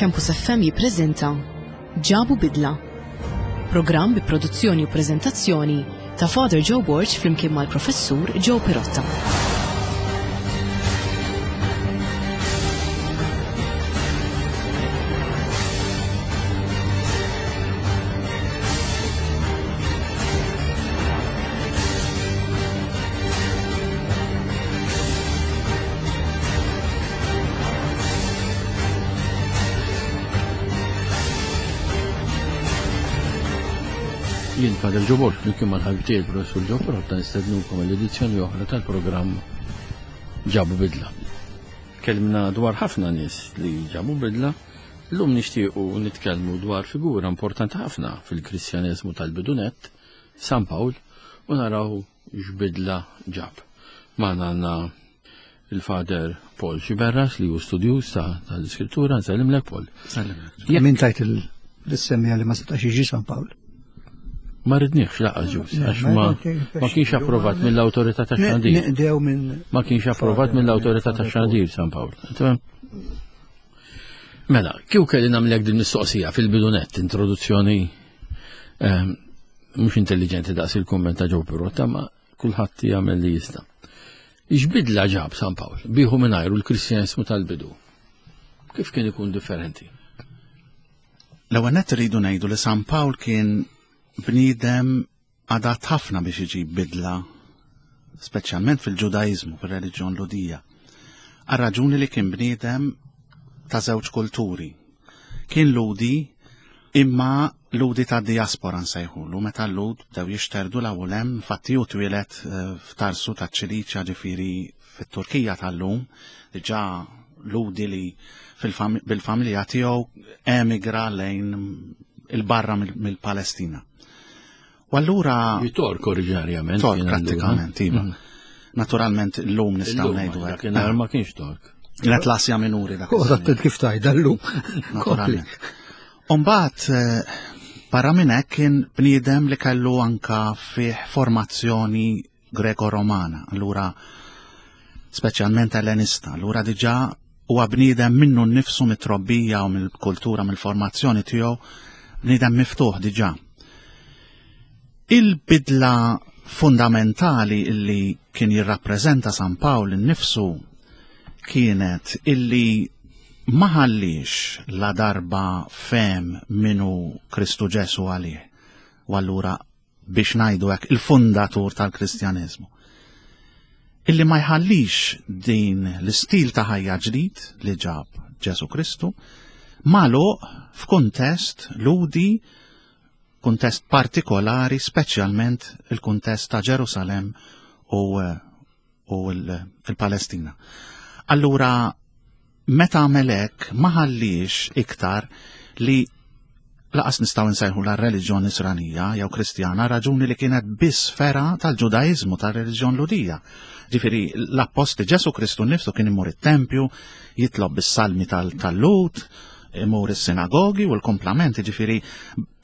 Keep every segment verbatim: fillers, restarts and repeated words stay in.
Campus F M jippreżenta Ġabu Bidla. Programm bi produzzjoni u preżentazzjoni ta' Father Joe Borg flimkien mal-Professur Joe Pirotta. Jien Father Joe Borg, flimkien mal-ħabib tiegħi il-Professur Joe Pirotta nistednukom għall-edizzjoni oħra tal-programm Ġabu Bidla. Kellimna dwar ħafna nies li ġabu bidla, llum nixtiequ nitkellmu dwar figura importanti ħafna fil-Kristjaneżmu tal-bidunett, San Pawl, u naraw x'bidla ġab. Magħna għandna il-Father Paul Sciberras li hu studjuż ta', tal-Iskrittura. Nsellimlek Paul. Nsellimlek. Min tajt l-semmija li ma setax jiġi San Pawl? Ma ridniex laqas ġus, Le, għax ma ma kienx ma kienx approvat Ne- mill-awtorità ta' xandir. Neqdew minn Ma kienx approvat mill-awtorità ta' xandir San Pawl. Tamam? Mela, kieku kelli nagħmlek din mistoqsija fil-bidunett, introduzzjoni, ehm, mhux intelligenti daqs il-kumment ta' Joe Pirotta, ma kulħadd jagħmel li jista'. X'bidla ġab San Pawl bieħu mingħajru l-Kristjaneżmu tal-bidu? Kif kien ikun differenti? L-ewwel nett irridu ngħidu li San Pawl kien bniedem adatt ħafna biex iġib bidla, speċjalment fil-Ġudaiżmu, fir-reliġjon Lhudija. Għal raġuni li kien bniedem ta' żewġ kulturi. Kien Lhudi, imma Lhudi ta' diaspora nsejħulu, meta l-Lhud bdew jixterdu l-ewwel hemm, infatti hu twieled, eh, f'Tarsu ta' Ċiliċja, ġifieri fit-Turkija tal-lum, diġà Lhudi li fil-fam-, bil-familja tiegħu emigra lejn il-barra mill-, mill-Palestina. U allura Ġi Tork oriġinarjament, Tork kien allura. prattikament, iva. Mm. Naturalment illum nistgħu Illum, ngħidu hekk. Dakinhar ma kienx Tork. Kienet l-Asja Minuri dak Cosa iż-żmien. kif tajda llum. Naturalment. Umbagħad, eh, barra minn hekk kien bniedem li kellu anka fih formazzjoni Greko-Romana, allura speċjalment Ellenista, allura diġà huwa bniedem minnu nnifsu mit-trobbija u mill-kultura, mill-formazzjoni tiegħu, bniedem miftuħ diġà. Il-bidla fundamentali illi kien jirrappreżenta San Pawl innifsu kienet illi ma ħallix la darba fem minu Kristu Ġesu għalih, u allura biex ngħidu hekk il-fundatur tal-Kristjaneżmu. Illi ma jħallix din l-istil ta' ħajja ġdid li ġab Ġesu Kristu magħluq f'kuntest Lhudi, kuntest partikolari, speċjalment il-kuntest ta' Ġerusalem u, u l-, il-Palestina. Allura, meta għamel hekk, ma ħallix iktar li laqas nistgħu nsejħu la reliġjon nisranija jew Kristjana, raġuni li kienet biss fera tal-Ġudaiżmu, tal-reliġjon Lhudija. Ġifieri l-appostli Ġesu Kristu nnifsu kien imur it-tempju, jitlob bis-salmi tal-, tal-Lhud, imur is-sinagogi u l-komplamenti, ġifieri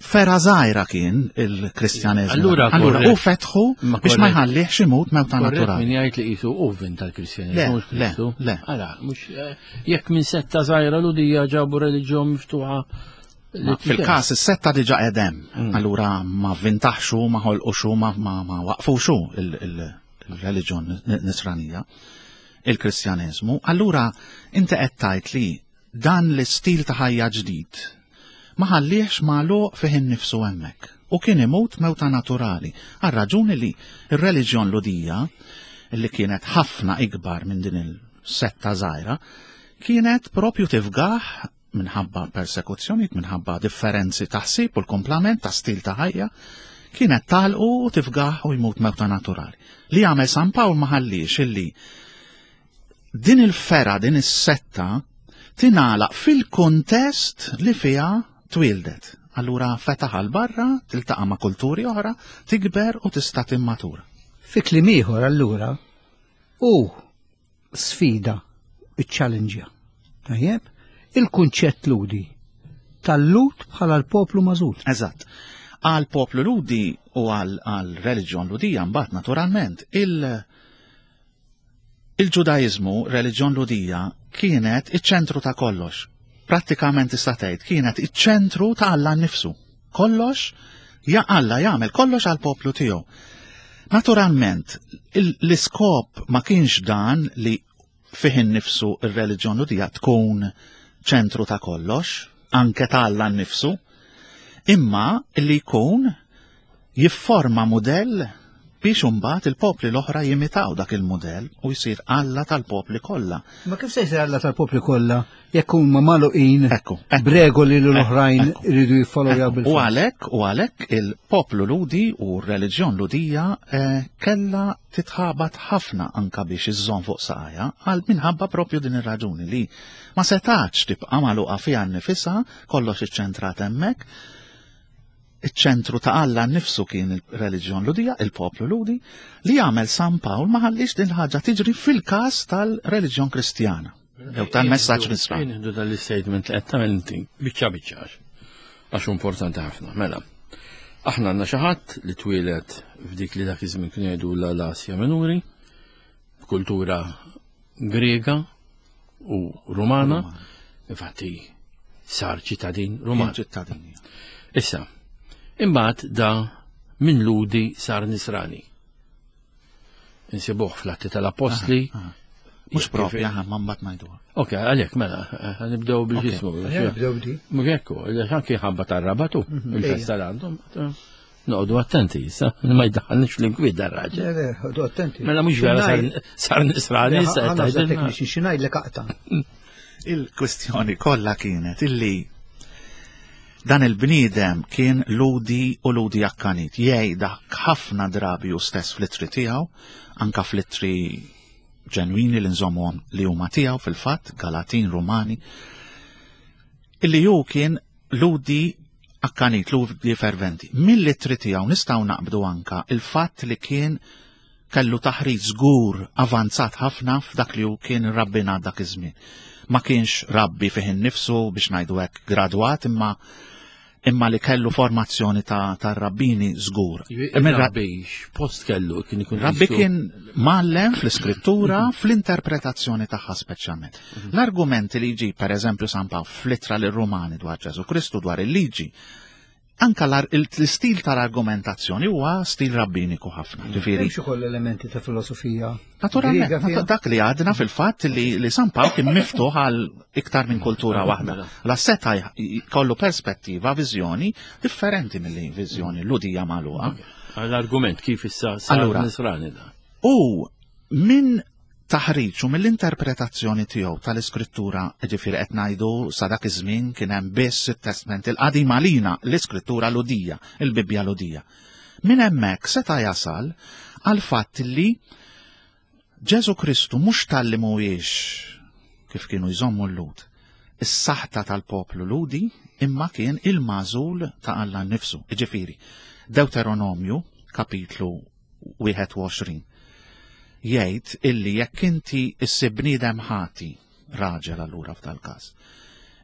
fera żgħira kien il-Kristjaneżmu. Allura Allura, korrett. u fetħu Ma biex ma korrett. jħallihx imut mewta Korrett naturali. min jgħid li qisu u vin tal-Kristjaneżmu, Le, mhux le, Kristu. le. Ara, mhux, eh, jekk minn setta żgħira Lhudija ġabu reliġjon miftuħa li Ma fil-każ is-setta diġà qedem. Mm. Allura ma vintaħxu, ma ħolquxu, ma, ma, ma waqfuxu il-, il-, il-reliġjon n-, nisranija, il-Kristjaneżmu. Allura inti qed tgħid li dan l-istil ta' ħajja ġdid ma ħallihx magħluq fih innifsu hemmhekk u kien imut mewta naturali għal raġuni li r-reliġjon Lhudija, li kienet ħafna ikbar minn din il-setta żgħira, kienet propju tifgah minħabba persekuzzjonijiet, minħabba differenzi ta' ħsieb u l-komplament ta' stil ta' ħajja, kienet talqu u tifgah u jmut mewta naturali. Li għamel San Pawl ma ħallix illi din il-fera, din is-setta, tingħalaq fil-kuntest li fiha twildet. Allura fetaħ għal barra, tiltaqa' ma' kulturi oħra, tikber u tista' timmatura. Fi kliem ieħor allura hu sfida, iċ-challenge. Tajjeb, il-kunċett Lhudi tal-Lhud bħala l-poplu magħżul. Eżatt. Għal poplu Lhudi u għal, għal reliġjon Lhudija mbagħad naturalment il-, il-Ġudaiżmu, reliġjon Lhudija, kienet iċ-ċentru ta' kollox. Prattikament tista' tgħid kienet iċ-ċentru ta' Alla nnifsu. Kollox, ja Alla jagħmel kollox għall-poplu tiegħu. Naturalment, l-iskop ma kienx dan li fih innifsu ir-reliġjon Lhudija tkun ċentru ta' kollox, anke ta' Alla nnifsu, imma li jkun jifforma mudell biex imbagħad il-popli l-oħra jimitaw dak il-mudell u jsir Alla tal-popli kollha. Ma kif se jsir Alla tal-popli kollha jekk huma magħluqin Ekku, ekku. b'regoli li l-oħrajn Ekku. iridu jiffollowjaw U bil-fors? għalhekk, u għalhekk il-poplu Lhudi u r-reliġjon Lhudija eh, kella titħabat ħafna anka biex iżżomm fuq saqajha għal minħabba propju din ir-raġuni li ma setax tibqa' magħluqa fiha nnifisha, kollox iċċentrat hemmhekk. Iċ-ċentru ta' Alla nnifsu kien il-reliġjon Lhudija, il-poplu Lhudi, li għamel San Pawl ma ħallix din ħaġa tiġri fil-każ tal-reliġjon Kristjana. Jew tal-messaġġ Nisrani. Nieħdu dal-statement li qed tagħmel inti biċċa biċċa għax importanti ħafna. Mela, aħna għandna xi ħadd li twieled f'dik li dak iż-żmien kienu jgħidu l-Asja Minuri, b'kultura Grega u Rumana, infatti sar ċittadin Ruman. Ċittadini. Issa, imbagħad da minn Lhudi sar Nisrani. Insibuh fl-Atti tal-Apostli. Mhux propja, ma mbagħad ngħiduha. Ok, għalhekk mela, eh, nibdew bil-ġismu. Nibdew b'di. Mhux hekk, anki ħabba tar-rabatu, il-festa li għandhom. Noqogħdu attenti, issa, ma jdaħħalniex fl-inkwiet dar-raġel. Le, le, ħodu attenti. Mela mhux vera sar- sar Nisrani, issa qed Ħana tgħidilna. tekniċi, xi ngħidlek aqta'. Il-kwestjoni kollha kienet illi dan il-bniedem kien Lhudi u Lhudi akkanit. Jgħid dak ħafna drabi u stess fl-ittri tiegħu, anka fl-ittri ġenwini li nżommu li huma tiegħu fil-fatt, Galatin, Rumani, illi hu kien Lhudi akkanit, Lhudi ferventi. Mill-ittri tiegħu nistgħu naqbdu anka il-fatt li kien kellu taħriġ żgur avanzat ħafna f'dak li hu kien rabbinat dak iż-żmien. Ma kienx rabbi fih innifsu biex ngħidu hekk gradwat, imma imma li kellu formazzjoni ta' tar-rabbini żgur. Imma Rabbi, post kellu kien ikun Rabbi qisu- kien mgħallem fl-iskrittura, fl-interpretazzjoni tagħha speċjalment. L-argumenti li jġib, per eżempju, San Pawl fl-ittra lir-Rumani dwar Ġesù Kristu, dwar il-liġi, anka l- l-istil tal-argumentazzjoni huwa stil rabbiniku ħafna. Ġifieri, Hemmx ukoll elementi ta' filosofija. Naturalment, Griega fiha? dak li għadna fil-fatt li, li San Pawl kien miftuħ għal iktar minn kultura waħda. La seta kollu perspettiva, viżjoni differenti mill viżjoni Lhudija magħluqa. L-argument kif issa sar Allura. Nisrani da. U minn taħriġ u mill-interpretazzjoni tiegħu tal-iskrittura, ġifieri qed ngħidu sa dak iż-żmien kien hemm biss it-Testament il-Qadim għalina, l-iskrittura Lhudija, il-Bibbja Lhudija. Minn hemmhekk seta' jasal għal fatt li Ġesu Kristu mhux talli mhuwiex kif kienu jżommu l-Lhud, is-saħta tal-poplu Lhudi, imma kien il-magħżul ta' Alla nnifsu. Ġifieri, Deuteronomju, kapitlu wieħed u għoxrin, jgħid illi jekk inti issib bniedem ħati, raġel allura f'dal-każ,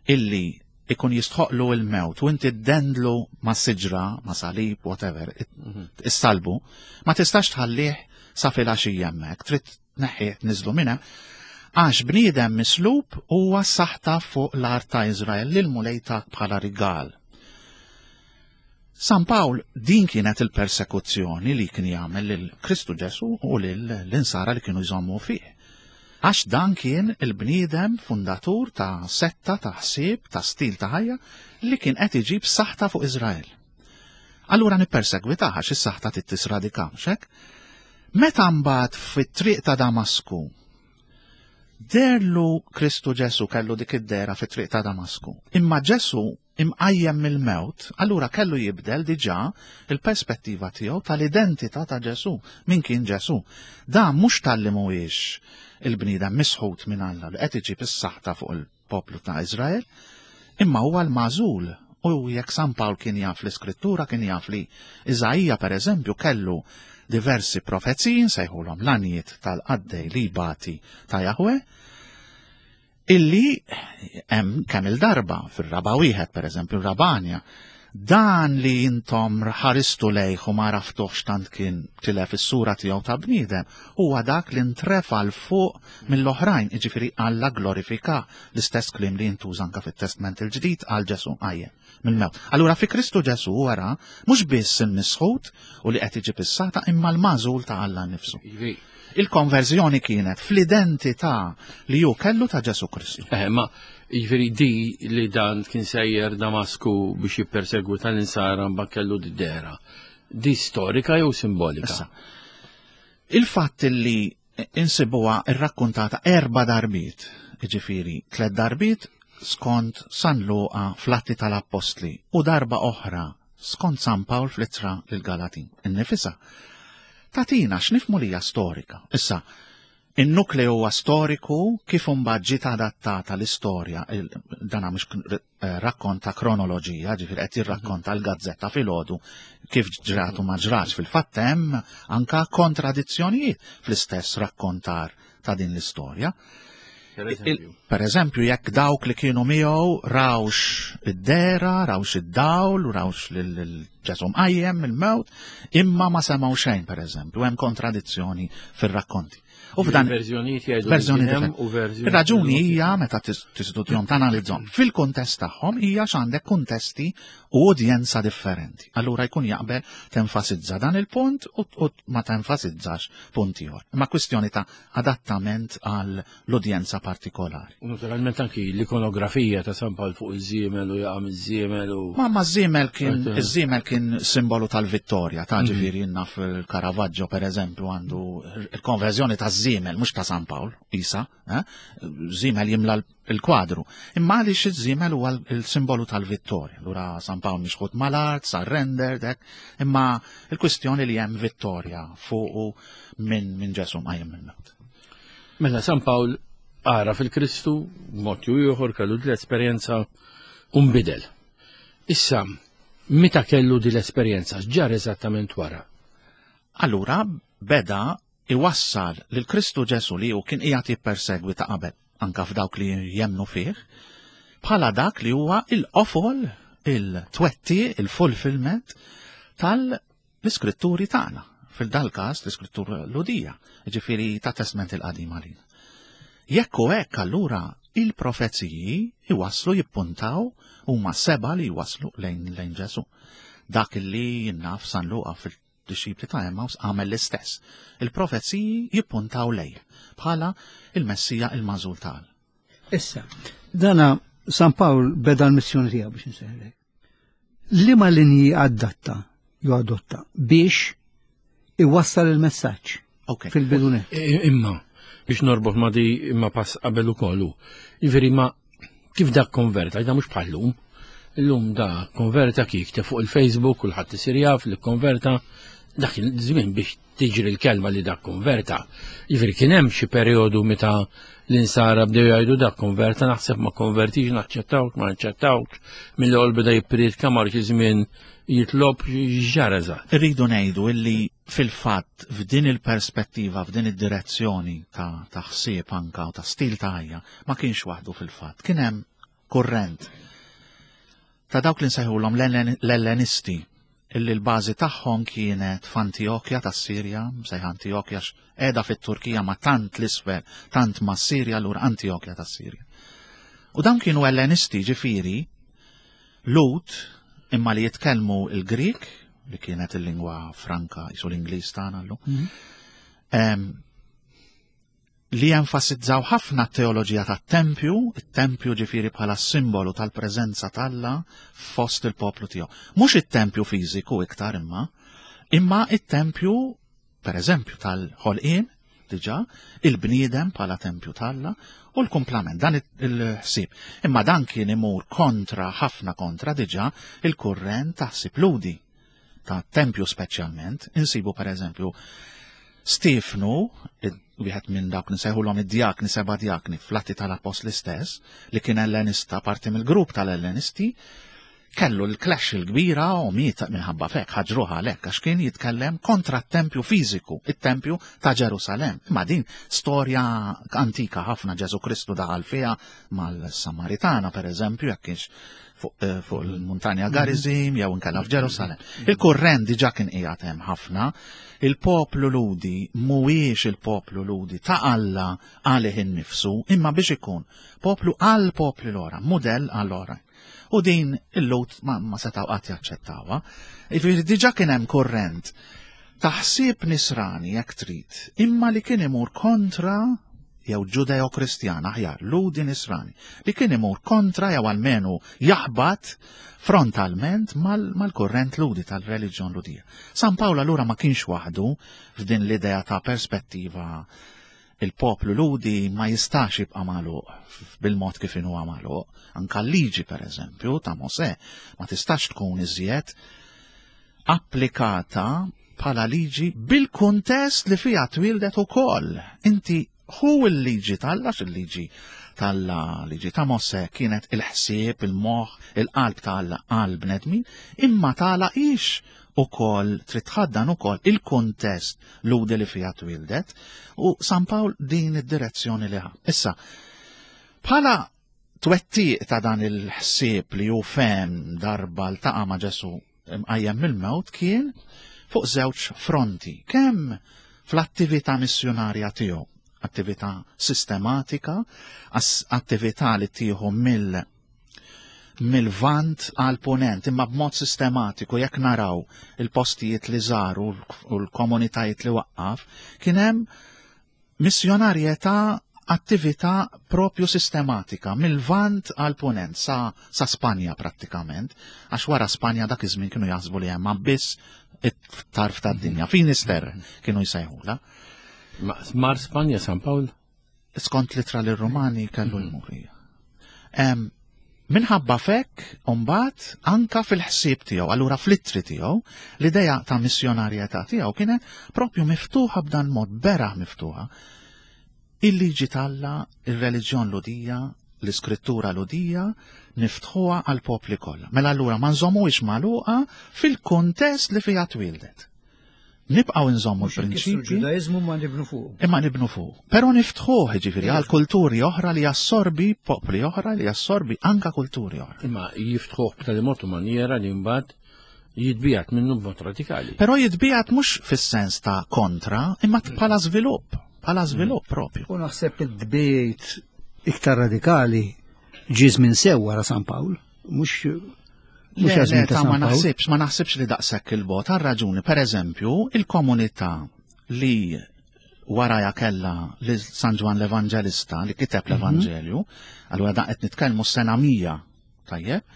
illi ikun jistħoqlu il-mewt u inti ddendlu ma' siġra, ma' salib, whatever, issalbu, ma tistax tħallih sa filgħaxija hemmhekk, trid tneħħih, tniżlu minn hemm, għax bniedem mislub huwa saħta fuq l-art ta' Izrael lil Mulej tak bħala rigal. San Pawl din kienet il-persekuzzjoni li kien jagħmel lil Kristu Ġesu u lil l-insara li kienu jżommu fih. Għax dan kien il-bniedem fundatur ta' setta, ta' ħsieb, ta' stil ta' ħajja li kien qed iġib saħta fuq Izrael. Allura nippersegwitah għax is-saħta tittisradika, xek? Meta mbagħad fit-triq ta' Damasku deherlu Kristu Ġesu, kellu dik id-dehra fit-triq ta' Damasku. Imma Ġesu imqajjem mill-mewt, allura kellu jibdel diġà il-perspettiva tiegħu tal-identità ta' Ġesu, min kien Ġesu. Dan mhux talli mhuwiex il-bniedem misħut minn Alla li qed iġib is-saħta fuq il-poplu ta' Izrael, imma huwa l-magħżul. U jekk San Pawl kien jaf l-iskrittura, kien jaf li Iżaija per eżempju kellu diversi profeziji, nsejħulhom l-għanjiet tal-qaddej li bati ta' Jahwe, illi hemm kemm il-darba fir-raba' wieħed, per eżempju, rabanja, Dan li intom ħaristu lejh u ma għaraftuhx tant kien tilef is-sura tiegħu ta' bniedem, huwa dak li ntrefa 'l fuq mill-oħrajn, jiġifieri Alla glorifika, l-istess kliem li jintuża anke fit-Testment il-Ġdid għal Ġesù qajjem mill-mewt. Allura fi Kristu Ġesù wara mhux biss il-misħut u li qed iġib is-sata imma l-magħżul ta' Alla nnifsu. Il-konverżjoni kienet fl-identità li hu kellu ta' Ġesù Kristu. Eh, ma jiġifieri di li dan kien sejjer Damasku biex jippersegwita l-insara mbagħad kellu d-dehra. Di storika jew simbolika? Issa, il-fatt li insibuha irrakkuntata erba' darbiet, jiġifieri tliet darbiet skont San Luqa fl-Atti tal-Appostli u darba oħra skont San Pawl fl-Ittra lill-Galatin. Innifisha tatina x'nifhmu li hija storika. Issa, in-nukleu huwa storiku kif imbagħad ġiet adattata l-istorja, dana mhux rakkont ta' kronoloġija, ġifieri qed jirrakkonta l-gazzetta filgħodu kif ġrat u ma ġratx. Fil-fatt hemm anka kontradizzjonijiet fl-istess rakkontar ta' din l-istorja. Per eżempju. Per eżempju, jekk dawk li kienu miegħu rawx id-dehra, rawx id-dawl, rawx lil Ġesù mqajjem mill-mewt, imma ma semgħu xejn, per eżempju, hemm kontradizzjoni fir-rakkonti. U f'dan verżjonijiet jgħidu verżjoni li kien hemm differenti. u verżjoni Ir-raġuni jgħidu hija meta tistudjahom tanalizzhom fil-kuntest tagħhom hija x'għandek kuntesti u udjenza differenti. Allura jkun jaqbel tenfasizza dan il-punt u, u ma tenfasizzax punt ieħor. Imma kwistjoni ta' adattament għal l-udjenza partikolari. U naturalment anki l-ikonografija ta' San Pawl fuq iż-żiemel u jaqa' miż-żiemel u Ma ma żiemel kien Għajt, iż-żiemel kien simbolu tal-vittorja, ta' ġifieri naf il-Caravaggio per eżempju għandu il-konverżjoni ta' żiemel, mhux ta' San Pawl, isa, eh? Żiemel jimla l-kwadru. Imma għaliex iż-żiemel huwa il-simbolu tal-vittorja. Allura San Pawl mixħut mal-art, surrender, dek, imma il-kwistjoni li hemm vittorja fuqu minn min Ġesù mqajjem mill-mewt. Mela San Pawl għaraf il-Kristu, mod jew ieħor kellu l-esperjenza u nbidel. Issa, meta kellu di l-esperjenza, x'ġara eżattament wara? Allura beda iwassal lil Kristu Ġesù li hu kien qiegħed jippersegwi ta' qabel anka f'dawk li jemnu fih, bħala dak li huwa il-qofol, il-twetti, il-fulfillment tal-iskritturi tagħna. Fil-dal każ l-iskrittura Lhudija, ġifieri ta' Testment il-Qadim għalina. Jekk hu hekk allura il-profeziji iwasslu jippuntaw huma seba li jwasslu lejn lejn Ġesù. Dak li naf San Luqa fil-dixxipli ta' Emmaus għamel l-istess. Il-profeziji jippuntaw lejh bħala il-Messija il-magħżul tal. Issa, dana San Pawl beda l-missjoni tiegħu biex insejħlek. Liema linji adatta jew adotta biex iwassal il-messaġġ Ok. fil-bidunet. Imma, biex norbot ma di imma pass qabel ukoll. Jiġifieri ma kif dak konverta, da mhux bħal-lum. Illum da konverta kif te fuq il-Facebook kulħadd isir jaf li konverta dak il-żmien biex tiġri l-kelma li dak konverta. Jiġifieri kien hemm xi perjodu meta l-insara bdew jgħidu dak konverta, naħseb ma konvertix, naċċettawk, ma naċċettawk, mill-ewwel beda jippriedka mar xi żmien jitlob x'ġara eżatt. Irridu ngħidu illi fil-fatt f'din il-perspettiva, f'din id-direzzjoni ta' ta' ħsieb anka u ta' stil ta' ħajja, ma kienx waħdu fil-fatt. Kien hemm kurrent ta' dawk li nsejħulhom l-Ellenisti, illi l-bażi tagħhom kienet f'Antjokja tas-Sirja, msejħa Antjokja qiegħda fit-Turkija ma tant l-isfel, tant ma' Sirja, allura Antjokja tas-Sirja. U dawn kienu Ellenisti ġifieri Lhud imma li jitkellmu il-Grik, li kienet il-lingwa franka, jisu l-Ingliż tagħna llum. Em, li jenfasizzaw ħafna t-teoloġija tat-tempju, it-tempju ġifieri bħala simbolu tal-preżenza t'Alla fost il-poplu tiegħu. Mhux it-tempju fiżiku iktar imma, imma it-tempju, per eżempju, tal-ħolqien, diġà, il-bniedem bħala tempju t'Alla u l-kumplament, dan il-ħsieb. Imma dan kien imur kontra, ħafna kontra diġà, il-kurrent ta' ħsieb Lhudi, ta' tempju speċjalment. Insibu per eżempju Stefnu, wieħed minn dawk nsejħulhom id-djakni, seba' djakni fl-Atti tal-Appostli stess, li kien Ellenista, parti mill-grupp tal-Ellenisti, Kellu l-clash il-kbira u miet minħabba fek, ħaġruha għalhekk għax kien jitkellem kontra t-tempju fiżiku, it-tempju ta' Ġerusalem. Imma din storja antika ħafna, Ġesu Kristu daħal fiha mal-Samaritana, per eżempju, jekk kienx fuq eh, fuq il-muntanja Garizim jew inkella f'Ġerusalem. Il-kurrent diġà kien qiegħed hemm ħafna. Il-poplu Lhudi mhuwiex il-poplu Lhudi ta' Alla għalih innifsu, imma biex ikun poplu għal popli l-oħra, mudell għal oħra. U din il-Lhud ma, ma setaw qatt jaċċettawha. Jiġifieri diġà kien hemm kurrent taħsib nisrani jekk trid, imma li kien imur kontra jew ġudeo-kristjan aħjar, Lhudi nisrani, li kien imur kontra jew almenu jaħbat frontalment mal-kurrent Lhudi tal-reliġjon Lhudija. San Pawl allura ma kienx waħdu f'din l-idea ta' perspettiva il-poplu Lhudi ma jistax jibqa' magħluq bil-mod kif inhu magħluq. Anka l-liġi per eżempju ta' Mosè ma tistax tkun iżjed applikata bħala liġi bil-kuntest li fiha twildet ukoll. Inti hu l-liġi t'Alla, il-liġi t'Alla, liġi ta' Mosè kienet il-ħsieb, il-moħħ, il-qalb ta' Alla għal bnedmin, imma tagħlaqix ukoll trid tħaddan ukoll il-kuntest Lhudi li fiha twildet u San Pawl din id-direzzjoni li ħa. Issa, bħala twettiq ta' dan il-ħsieb li hu fehem darba ltaqa' ma' Ġesu mqajjem mill-mewt kien fuq żewġ fronti. Kemm fl-attività missjonarja tiegħu, attività sistematika, attività li tieħu mill mill-vant għal ponent, imma b'mod sistematiku, jekk naraw il-postijiet li żaru u l-komunitajiet li waqqaf, kien hemm missjonarjetà, attività propju sistematika mill-vant għal ponent sa, sa Spanja prattikament, għax wara Spanja dak iż-żmien kienu jaħsbu li hemm biss it-tarf tad-dinja, Finisterre kienu jsejħula. Mar Spanja San Pawl? Skont l-ittra lir-Rumani kellu jmur. Minħabba fek, mbagħad, anka fil-ħsieb tiegħu, allura fl-ittri tiegħu, l-idea ta' missjonarjetà tiegħu kienet propju miftuħa b'dan mod, beraħ miftuħa. Il-liġi t'Alla, il-reliġjon Lhudija, l-iskrittura Lhudija, niftħuha għal popli kollha. Mela allura ma nżommuhiex magħluqa fil-kuntest li fiha twildet. Nibqgħu nżommu l-prinċipji. Ġudaizmu ma nibnu fuq. Imma nibnu fuq. Però niftħuh ġifieri għal kulturi oħra li jassorbi popli oħra li jassorbi anka kulturi oħra. Imma jiftħuh b'tali mod u maniera li mbagħad jitbiegħed minnu b'mod radikali. Però jitbiegħed mhux fis-sens ta' kontra, imma bħala żvilupp, bħala żvilupp propju. U naħseb id-dbejt iktar radikali ġie minn sew wara San Pawl, mhux Le, le, ta' ma naħsibx, ma naħsibx li daqshekk il-bogħod għal raġuni, per eżempju, il-komunità li waraja kella li San Ġwann l-Evanġelista li kiteb l-Evanġelju, allura da qed nitkellmu s-sena mija, tajjeb,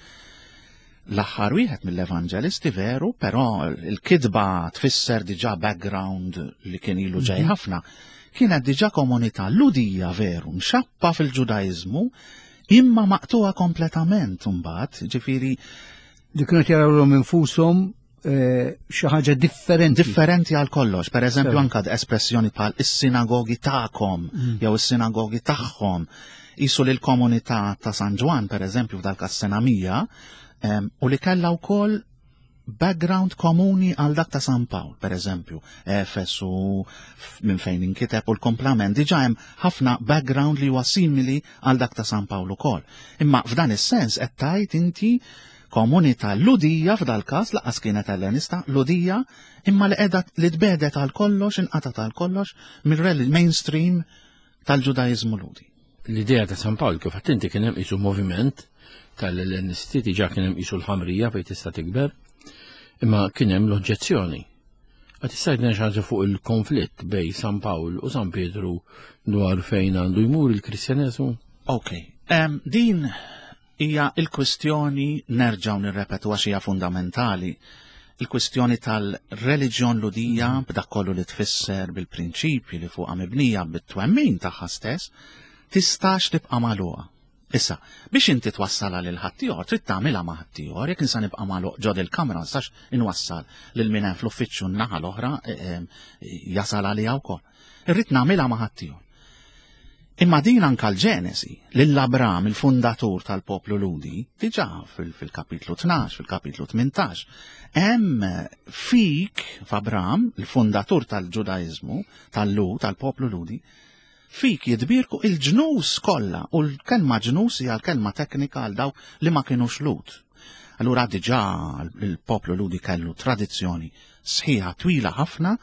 l-aħħar wieħed mill-evanġelisti veru, però il-kitba tfisser diġà background li kien ilu ġej ħafna. Kienet diġà komunità Lhudija veru, mxappa fil-Ġudaizmu, imma maqtuha kompletament mbagħad, ġifieri Li kienu jarawhom infushom eh, xi ħaġa differenti. Differenti għal kollox. Per eżempju, Sew. anka espressjoni bħal is-sinagogi tagħkom jew is-sinagogi tagħhom. Isu li l-komunità ta' San Ġwann, per eżempju, f'dal sena mija, em, u li kellha wkoll background komuni għal dak ta' San Pawl, per eżempju, Efesu, f- minn fejn inkiteb u l-komplament, diġa hemm ħafna background li huwa simili għal dak ta' San Pawl ukoll. Imma f'dan is-sens qed tgħid inti komunità Lhudija f'dal każ laqas kienet Ellenista, Lhudija, imma li qiegħda li tbedet għal kollox, inqatat għal kollox mill-mainstream tal-Ġudaizmu Lhudi. L-idea ta' San Pawl kif inti kien hemm qisu moviment tal-Ellenisti, diġà kien hemm qisu l-ħamrija fejn tista' tikber, imma kien hemm l-oġġezzjoni. Għad tista' tgħidna xi ħaġa fuq il-konflitt bejn San Pawl u San Pietru dwar fejn għandu jmur il-Kristjaneżmu? Ok, um, din hija il-kwistjoni, nerġgħu nirrepetu għax hija fundamentali, il-kwistjoni tal-reliġjon Lhudija b'dak kollu li tfisser bil-prinċipji li fuqha mibnija bit-twemmin tagħha stess, tistax tibqa' magħluqa. Issa, biex inti twassalha lil ħaddieħor, trid tagħmilha ma' ħaddieħor, jekk insa nibqa' magħluq ġod il-kamra, nistax inwassal lil min hemm fl-uffiċċju n-naħa l-oħra eh, eh, jasal għaliha wkoll. Irrid nagħmilha ma' ħaddieħor. Imma din anka l-Ġenesi, lil Abram, il-fundatur tal-poplu Ludi, diġà fil-kapitlu tnax, fil-kapitlu tmintax, hemm fik f'Abram, il-fundatur tal-Ġudaiżmu, tal-Lud, tal-poplu Ludi, fik jitbierku il-ġnus kollha, u l-kelma ġnus hija l-kelma teknika għal dawk li ma kienux Lud. Allura diġà il-poplu Ludi kellu tradizzjoni sħiħa twila ħafna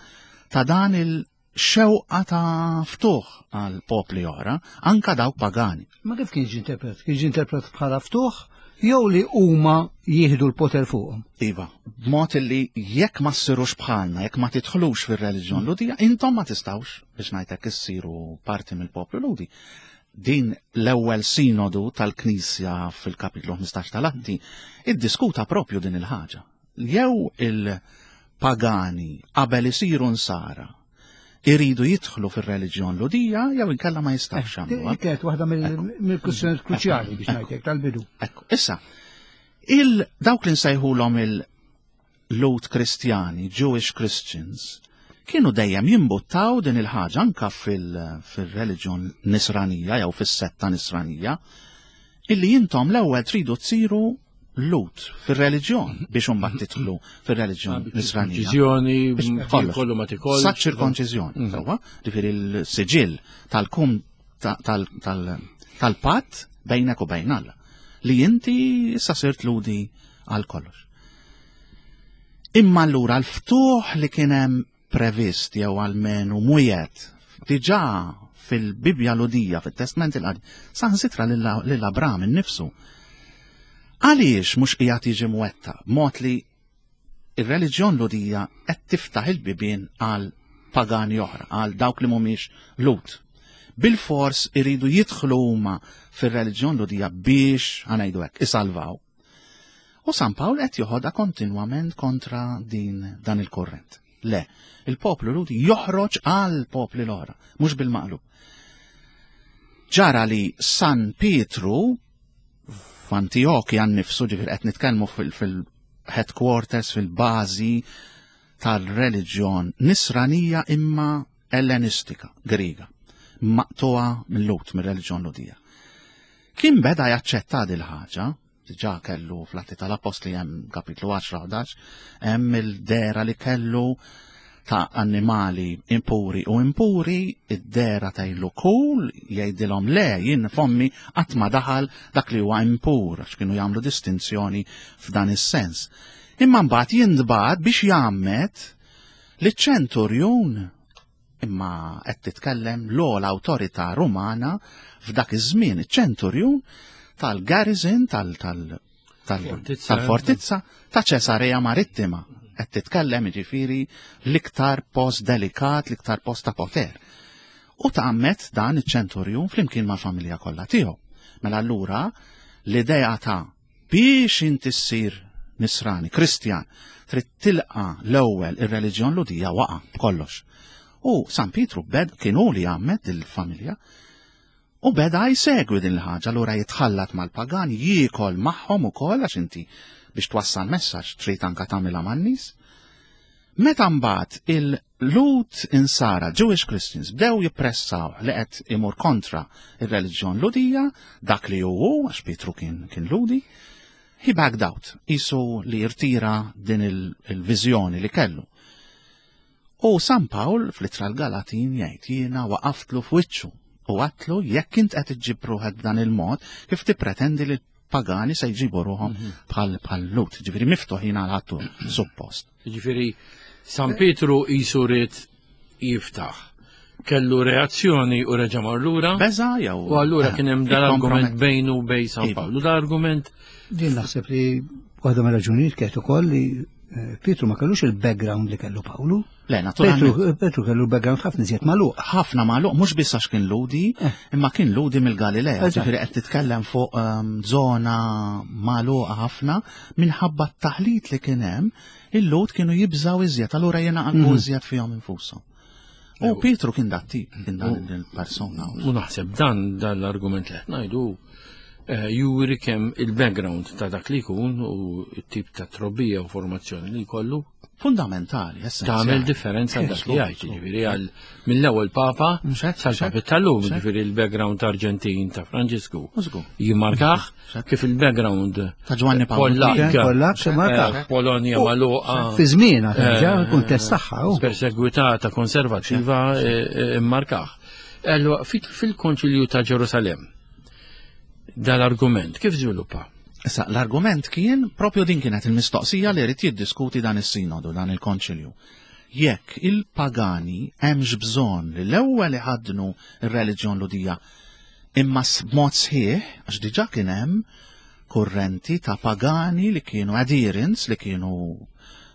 ta' dan il- xewqa ta' ftuħ għal popli oħra, anka dawk pagani. Ma kif kien ġie interpret? Kien ġie interpret bħala ftuħ jew li huma jieħdu l-poter fuqhom? Iva, b'mod li jekk ma ssirux bħalna, jekk ma tidħlux fir-reliġjon Lhudija, intom ma tistgħux biex ngħidlek issiru parti mill-poplu Lhudi. Din l-ewwel sinodu tal-Knisja fil-kapitlu ħmistax tal-Atti iddiskuta propju din il-ħaġa. Jew il-pagani qabel isiru nsara iridu jidħlu fir-reliġjon Lhudija jew inkella ma jistgħux jagħmluha. Kienet waħda mill-kwistjonijiet kruċjali biex ngħidlek tal-bidu. Ekku, issa, il dawk li nsejħulhom il-Lhud Kristjani, Jewish Christians, kienu dejjem jimbuttaw din il-ħaġa anka fil-reliġjon nisranija jew fis-setta nisranija, illi intom l-ewwel tridu tsiru Lhud fir-reliġjon biex imbagħad tidħlu fir-reliġjon nisranija. Ċirkonċiżjoni, kollu ma tikolx. Sa ċirkonċiżjoni, sewwa, ġifieri l-siġill tal-kum tal-patt bejnek u bejn Alla li inti issa sirt Lhudi għal kollox. Imma allura l-ftuħ li kien hemm previst jew almenu mwiegħed diġà fil-Bibja Lhudija, fit-Testament il-Qadim, saħansitra lil Abram innifsu. Għaliex mhux qiegħed jiġi mwettaq b'mod li ir-reliġjon Lhudija qed tiftaħ il-bibien għal pagani oħra, għal dawk li mhumiex Lhud. Bil-fors iridu jidħlu huma fir-reliġjon Lhudija biex, ħa ngħidu hekk, isalvaw. U San Pawl qed joħodha kontinwament kontra din dan il-kurrent. Le, il-poplu Lhudi joħroġ għal popli l-oħra, mhux bil-maqlub. Ġara li San Pietru f'Antiochia nnifsu, ġifieri qed nitkellmu fil-headquarters, fil-bażi tal-reliġjon nisranija imma ellenistika, Griega, maqtuha mill-Lhud, mir-reliġjon Lhudija. Kien beda jaċċetta dil ħaġa, diġà kellu fl-Atti tal-Apostli hemm kapitlu għaxra ħdax, hemm il-dera li kellu ta' annimali impuri u impuri, id-dera tajlu kul, jgħidilhom le, jien fommi qatt ma daħal dak li huwa impur, għax kienu jagħmlu distinzjoni f'dan is-sens. Imma mbagħad jintbagħat biex jgħammed liċ-ċenturjun, imma qed titkellem l-ogħla awtorità Rumana f'dak iż-żmien, iċ-ċenturjun tal-garrison tal-, tal-, tal-, Fortizza. tal-fortizza ta' Ċesarea Marittima. Qed titkellem jiġifieri l-iktar post delikat, l-iktar post ta' poter. U tgħammed dan iċ-ċenturjun flimkien mal-familja kollha tiegħu. Mela allura l-idea ta' biex inti ssir nisrani, Kristjan, trid tilqa l-ewwel ir-reliġjon Lhudija waqa' b'kollox. U San Pietru bed kien hu li għammed il-familja u beda jsegwi din il-ħaġa, allura jitħallat mal-pagan, jiekol magħhom ukoll għax inti biex twassal messaġġ trid anka tagħmilha man-nies. Meta mbagħad il-Lhud insara, Jewish Christians, bdew jippressaw li qed imur kontra ir-reliġjon Lhudija, dak li hu, għax Pietru kien, kien Lhudi, he backed out, isu li irtira din il-, il-viżjoni li kellu. U San Pawl fl-ittra l-Galatin jgħid jiena waqaftlu f'wiċċu u għatlu jekk int qed iġġib ruħek b'dan il-mod kif tippretendi li pagani se jġibu ruħhom bħal, bħal Lhud, ġifieri miftuħin għal ħattu suppost. Ġifieri San Pietru isu ried jiftaħ. Kellu reazzjoni u reġa' mar lura. Beża jew U allura eh, kien hemm dan l-argument ikkompromet- bejnu u bejn San Iva. Pawlu. Dan argument Din naħseb li waħda mir-raġunijiet kienet ukoll li, eh, Pietru ma kellux il-background li kellu Pawlu. Le, naturalment. Pietru, Pietru kellu background ħafna iżjed magħluq. Ħafna magħluq, mhux biss għax kien Lhudi, Eh. imma kien Lhudi mill-Galilea, Eżatt. ġifieri qed titkellem fuq, ehm, żona magħluqa ħafna minħabba t-taħlit li kien hemm, il-Lhud kienu jibżaw iżjed, allura jingħaqdu Mhm. iżjed fihom infushom. U Pietru kien dat tip, kien dan il-persona. U naħseb dan, dan l-argument li qed ngħidu, eh, juri kemm il-background ta' dak li jkun u t-tip ta' trobbija u formazzjoni li jkollu Fundamentali, essenzjali. Tagħmel differenza dak li jgħid, jiġifieri għal mill-ewwel Papa sal-Papi tal-lum, jiġifieri l-background Arġentin ta' Franġisku. Jimmarkah kif il-background ta' Ġwanni Pawl Pollak, eh, Polonja magħluqa. Fi żmienha terġa' eh, kuntest tagħha. Persegwitata konservattiva eh, immarkah. Allora fil-Konċilju ta' Ġerusalem dal-argument kif żviluppa? Issa, l-argument kien, propju din kienet il-mistoqsija li rrid jiddiskuti dan is-sinodu, dan il-konċilju. Jekk il-pagani hemmx bżonn li l-ewwel iħaddnu r-reliġjon Lhudija imma b'mod sħiħ, għax diġà kien hemm kurrenti ta' pagani li kienu adherents, li kienu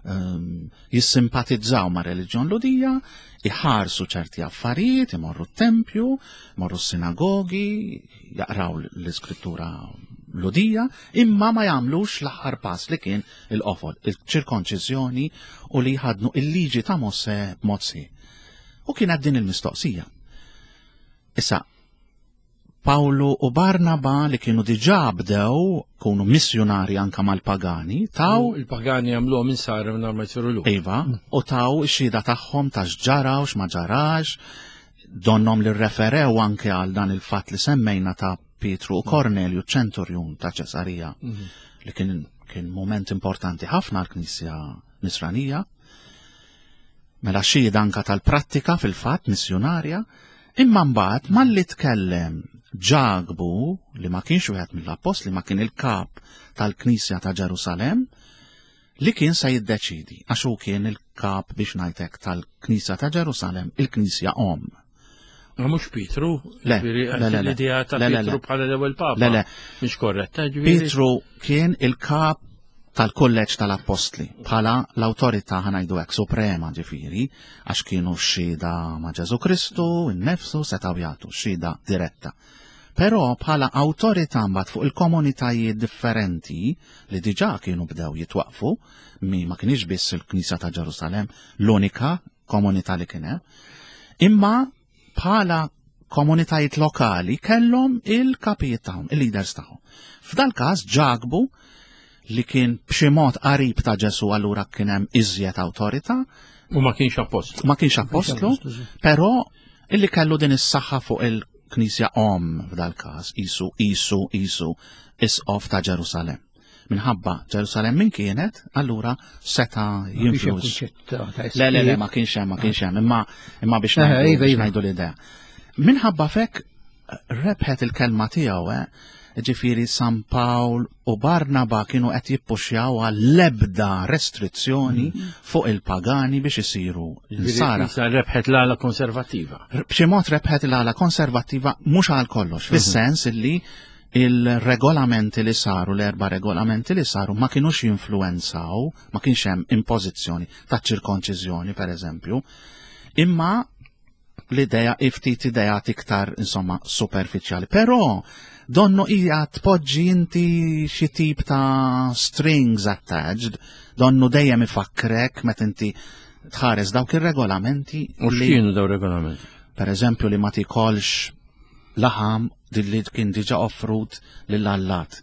um, jissimpatizzaw ma' reliġjon Lhudija, iħarsu ċerti affarijiet, imorru t-tempju, imorru s-sinagogi, jaqraw l-iskrittura Lhudija, imma ma jagħmlux l-aħħar pass li kien il-qofol, il-ċirkonċiżjoni u li jħadnu il-liġi ta' Mosè b'mod sħiħ. U kienet din il-mistoqsija. Issa, Pawlu u Barnaba li kienu diġà bdew kunu missjonari anka mal-pagani, taw il-pagani għamluhom insara mingħajr ma jsiru lhud. Iva, u taw ix-xhieda tagħhom ta' x'ġara u x'ma ġarax, donnom li rreferew anke għal dan il-fatt li semmejna ta' Pietru u Kornelju ċenturjun ta' Ċesarija, li kien kien moment importanti ħafna għall-Knisja Nisranija. Mela xhieda anka tal-prattika fil-fatt missjonarja, imma mbagħad malli tkellem Ġakbu, li ma kienx wieħed mill-appostli, ma kien il-kap tal-Knisja ta' Ġerusalem, li kien se jiddeċidi, għax hu kien il-kap biex ngħidlek tal-Knisja ta' Ġerusalem, il-Knisja Omm. Ma mhux Pietru, Le, le, le, le. L-idea ta' Le, le, Pietru le. bħala l-ewwel Papa. Le, le. Mhix korretta, ġifieri. Pietru kien il-kap tal-kulleġġ tal-Appostli bħala l-awtorità ħa ngħidu hekk suprema ġifieri, għax kienu xhieda ma' Ġesu Kristu, innefsu setgħu jagħtu xhieda diretta. Però bħala awtorità mbagħad fuq il-komunitajiet differenti li diġà kienu bdew jitwaqfu, mi ma kienx biss il-Knisja ta' Ġerusalem l-unika komunità li kien hemm, imma bħala komunitajiet lokali kellhom il-kapijiet tagħhom, il-leaders tagħhom. F'dal każ Ġakbu li kien b'xi mod qarib ta' Ġesu allura kien hemm iżjed awtorità, U ma kienx appostlu. ma kienx appostlu, però illi kellu din is-saħħa fuq il-Knisja Omm f'dal każ, isu isu isu isqof ta' Ġerusalem. Minħabba Ġerusalem min kienet, allura seta' jinfluż. Le, le, le, ma kienx hemm, ma kienx hemm, imma imma biex Eh, ngħidu iva, biex iva. ngħidu l-idea. Minħabba fek rebħet il-kelma tiegħu, eh, ġifieri San Pawl u Barnaba kienu qed jippuxjaw għall-ebda restrizzjoni fuq il-pagani biex isiru nsara. Issa rebħet l-ala konservattiva. B'xi mod rebħet l-ala konservattiva mhux għal kollox, fis-sens illi il-regolamenti li saru, l-erba regolamenti li saru ma kienux jinfluenzaw, ma kienx hemm impożizzjoni ta' ċirkonċiżjoni per eżempju, imma l-idea ftit idea iktar insomma superfiċjali. Però donnu hija tpoġġi inti xi tip ta' strings attached, donnu dejjem ifakkrek meta inti tħares dawk ir-regolamenti U li x'kienu daw regolamenti? per eżempju li ma tikolx laħam li kien diġa offrut lill-allat,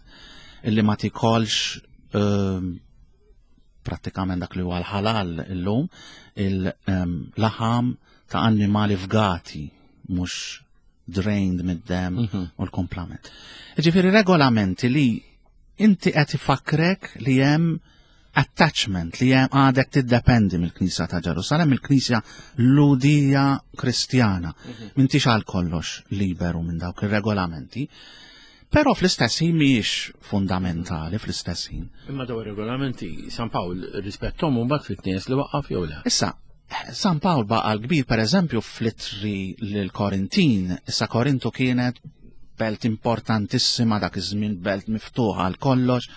illi ma tikolx ehm, prattikament dak li huwa l-ħalal illum, il-laħam ta' annimali fgati, mhux drained mid-dem u l-komplament. Ġifieri regolamenti li inti qed ifakrek li hemm attachment li hemm għadek tiddependi mill-Knisja ta' Ġerusalem, mill-Knisja Lhudija Kristjana. M'intix għal kollox liberu minn dawk ir-regolamenti. Però fl-istess ħin mhijiex fundamentali fl-istess ħin. Imma daw regolamenti San Pawl rispettom u mbagħad fit-nies li waqqaf jew le. Issa, San Pawl baqa l-kbir, per eżempju, fl-ittri l-Korintin, issa Korintu kienet belt importantissima dak iż-żmien, belt miftuħa għal kollox,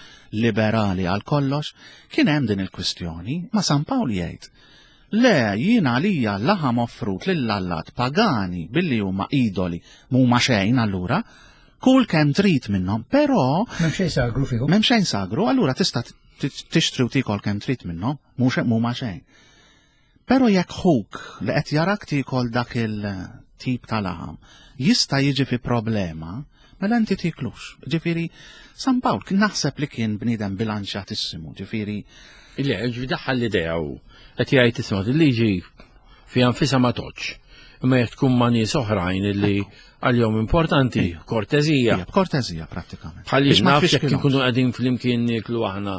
liberali għal kollox, kien hemm din il-kwistjoni, ma San Pawl jgħid. Le, jiena għalija laħam offrut lill-allat pagani billi huma idoli m'huma xejn allura, kull kemm trid minnhom, però M'hemm xejn sagru fihom. m'hemm xejn sagru, allura tista' tixtri u tikol kemm trid minnhom, mhux m'huma xejn. Però jekk ħuk li qed jarak tikol dak il-tip ta' laħam jista' jiġi fi problema Mela inti tiklux. Ġifieri San Pawl kien naħseb li kien bniedem bilanċjatissimu, ġifieri Le, ġifieri daħħal l-idea u qed jgħid isma' il-liġi fiha nfisha ma toċ. Imma jekk tkun ma' nies oħrajn illi għalihom importanti, kortezija. Ija, b'kortezija prattikament. Bħalli Biex ma naf jekk tfixkilhomx. ikunu qegħdin flimkien nieklu aħna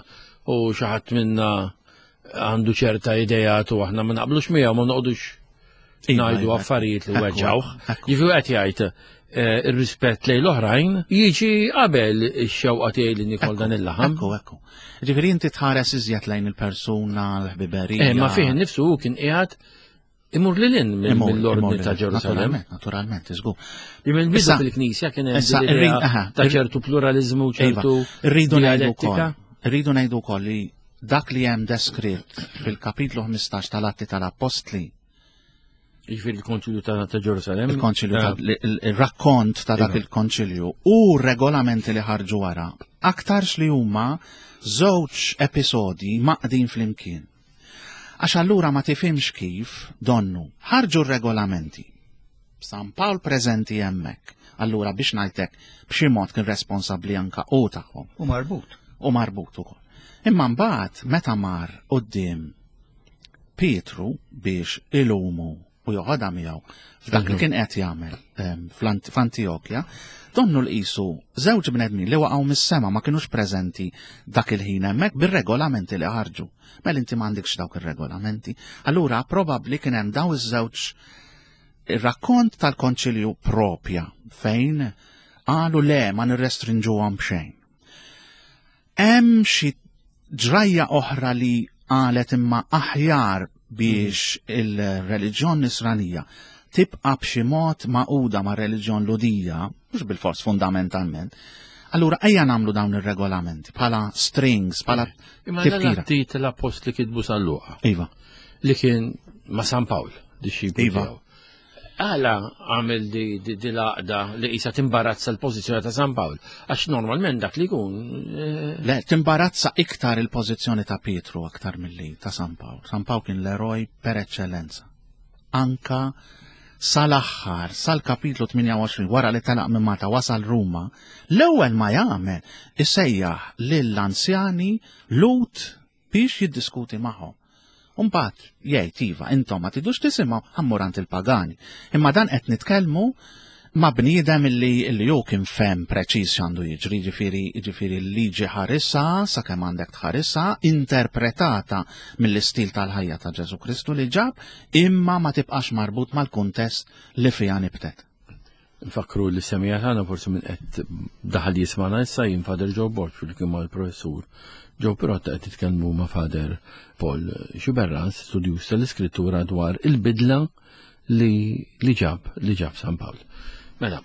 u xi ħadd minna għandu ċerta idejat u aħna ma naqblux miegħu ma noqogħdux Iva, ngħidu iva, affarijiet li ekku, weġġawh. ekku. Jiġifieri qed jgħid eh, ir-rispett lejn l-oħrajn jiġi qabel ix-xewqa tiegħi li nikol dan il-laħam. Ekku, ekku. Ġifieri inti tħares iżjed lejn il-persuna, l-ħbiberija. Eh, ma fih nifsu hu kien qiegħed imur lil hinn mill- Imur- mill-ordni imur ta' lil- Ġerusalem. Naturalment, naturalment, iżgur. Li mill-bidu Issa- fil-Knisja kien hemm issa, din l-idea irrid- aha, ta' irrid- ċertu pluralizmu, Iva, ċertu Rridu ngħidu wkoll. dialettika. Rridu ngħidu wkoll li dak li hemm deskritt fil-kapitlu ħmistax tal-Atti tal-Appostli, Jiġifieri il-Konċilju ta' ta' Ġerusalem. il-konċilju Eh, ta' il- il-rakkont ta' dak Iva. il-konċilju u regolamenti li ħarġu wara, aktarx li huma żewġ episodi maqdin flimkien. Għax allura ma tifhimx kif donnu ħarġu r-regolamenti. San Pawl preżenti hemmhekk. Allura biex ngħidlek b'xi mod kien responsabbli anka u tagħhom U marbut. u marbut ukoll. Imma mbagħad meta mar quddiem Pietru biex ilumu u joħodha miegħu f'dak li kien qed jagħmel em, fl-Ant- f'Antijokja, donnu l-qisu żewġ bnedmin li waqgħu mis-sema ma kinux preżenti dak il-ħin hemmhekk bir-regolamenti li ħarġu. Mela inti m'għandekx dawk ir-regolamenti. Allura probabbli kien hemm daw iż-żewġ ir-rakkont tal-konċilju propja fejn qalu le ma nirrestrinġuhom b'xejn. Hemm xi ġrajja oħra li qalet imma aħjar biex il-reliġjon nisranija tibqa' b'xi mod maquda ma' reliġjon Lhudija, mhux bil-fors fundamentalment, allura ejja nagħmlu dawn ir-regolamenti bħala strings, bħala Imma tifkira. l-atti tal-appostli kitbu San Luqa Iva. li kien ma' San Pawl, dixxiplu Iva. tiegħu. Għala għamel di, di, di l-għaqda li qisha timbarazza l-pożizzjoni ta' San Pawl. Għax normalment dak li jkun eh, Le, timbarazza iktar il-pożizzjoni ta' Pietru aktar milli ta' San Pawl. San Pawl kien l-eroj per eccellenza. Anka sal-aħħar, sal-kapitlu tmienja u għoxrin, wara li telaq minn Malta wasal Ruma, l-ewwel ma jagħmel isejjaħ lill-anzjani Lhud biex jiddiskuti magħhom. Umbagħad jgħid iva, intom ma tidux tisimgħu ħa mmur għand il-pagani. Imma dan qed nitkellmu ma' bniedem illi illi hu kien fehem preċiż x'għandu jiġri, ġifieri ġifieri l-liġi ħarisha sakemm għandek tħarisha, interpretata mill-istil tal-ħajja ta' Ġesu Kristu li ġab, imma ma tibqax marbut mal-kuntest li fiha nibtet. Nfakru li semija tagħna forsi minn qed daħal jismana issa jien Father Joe Borg fil-kien mal-professur Joe Pirotta qed titkellmu ma' Father Paul Sciberras, studjuż tal-iskrittura dwar il-bidla li li ġab li ġab San Pawl. Mela,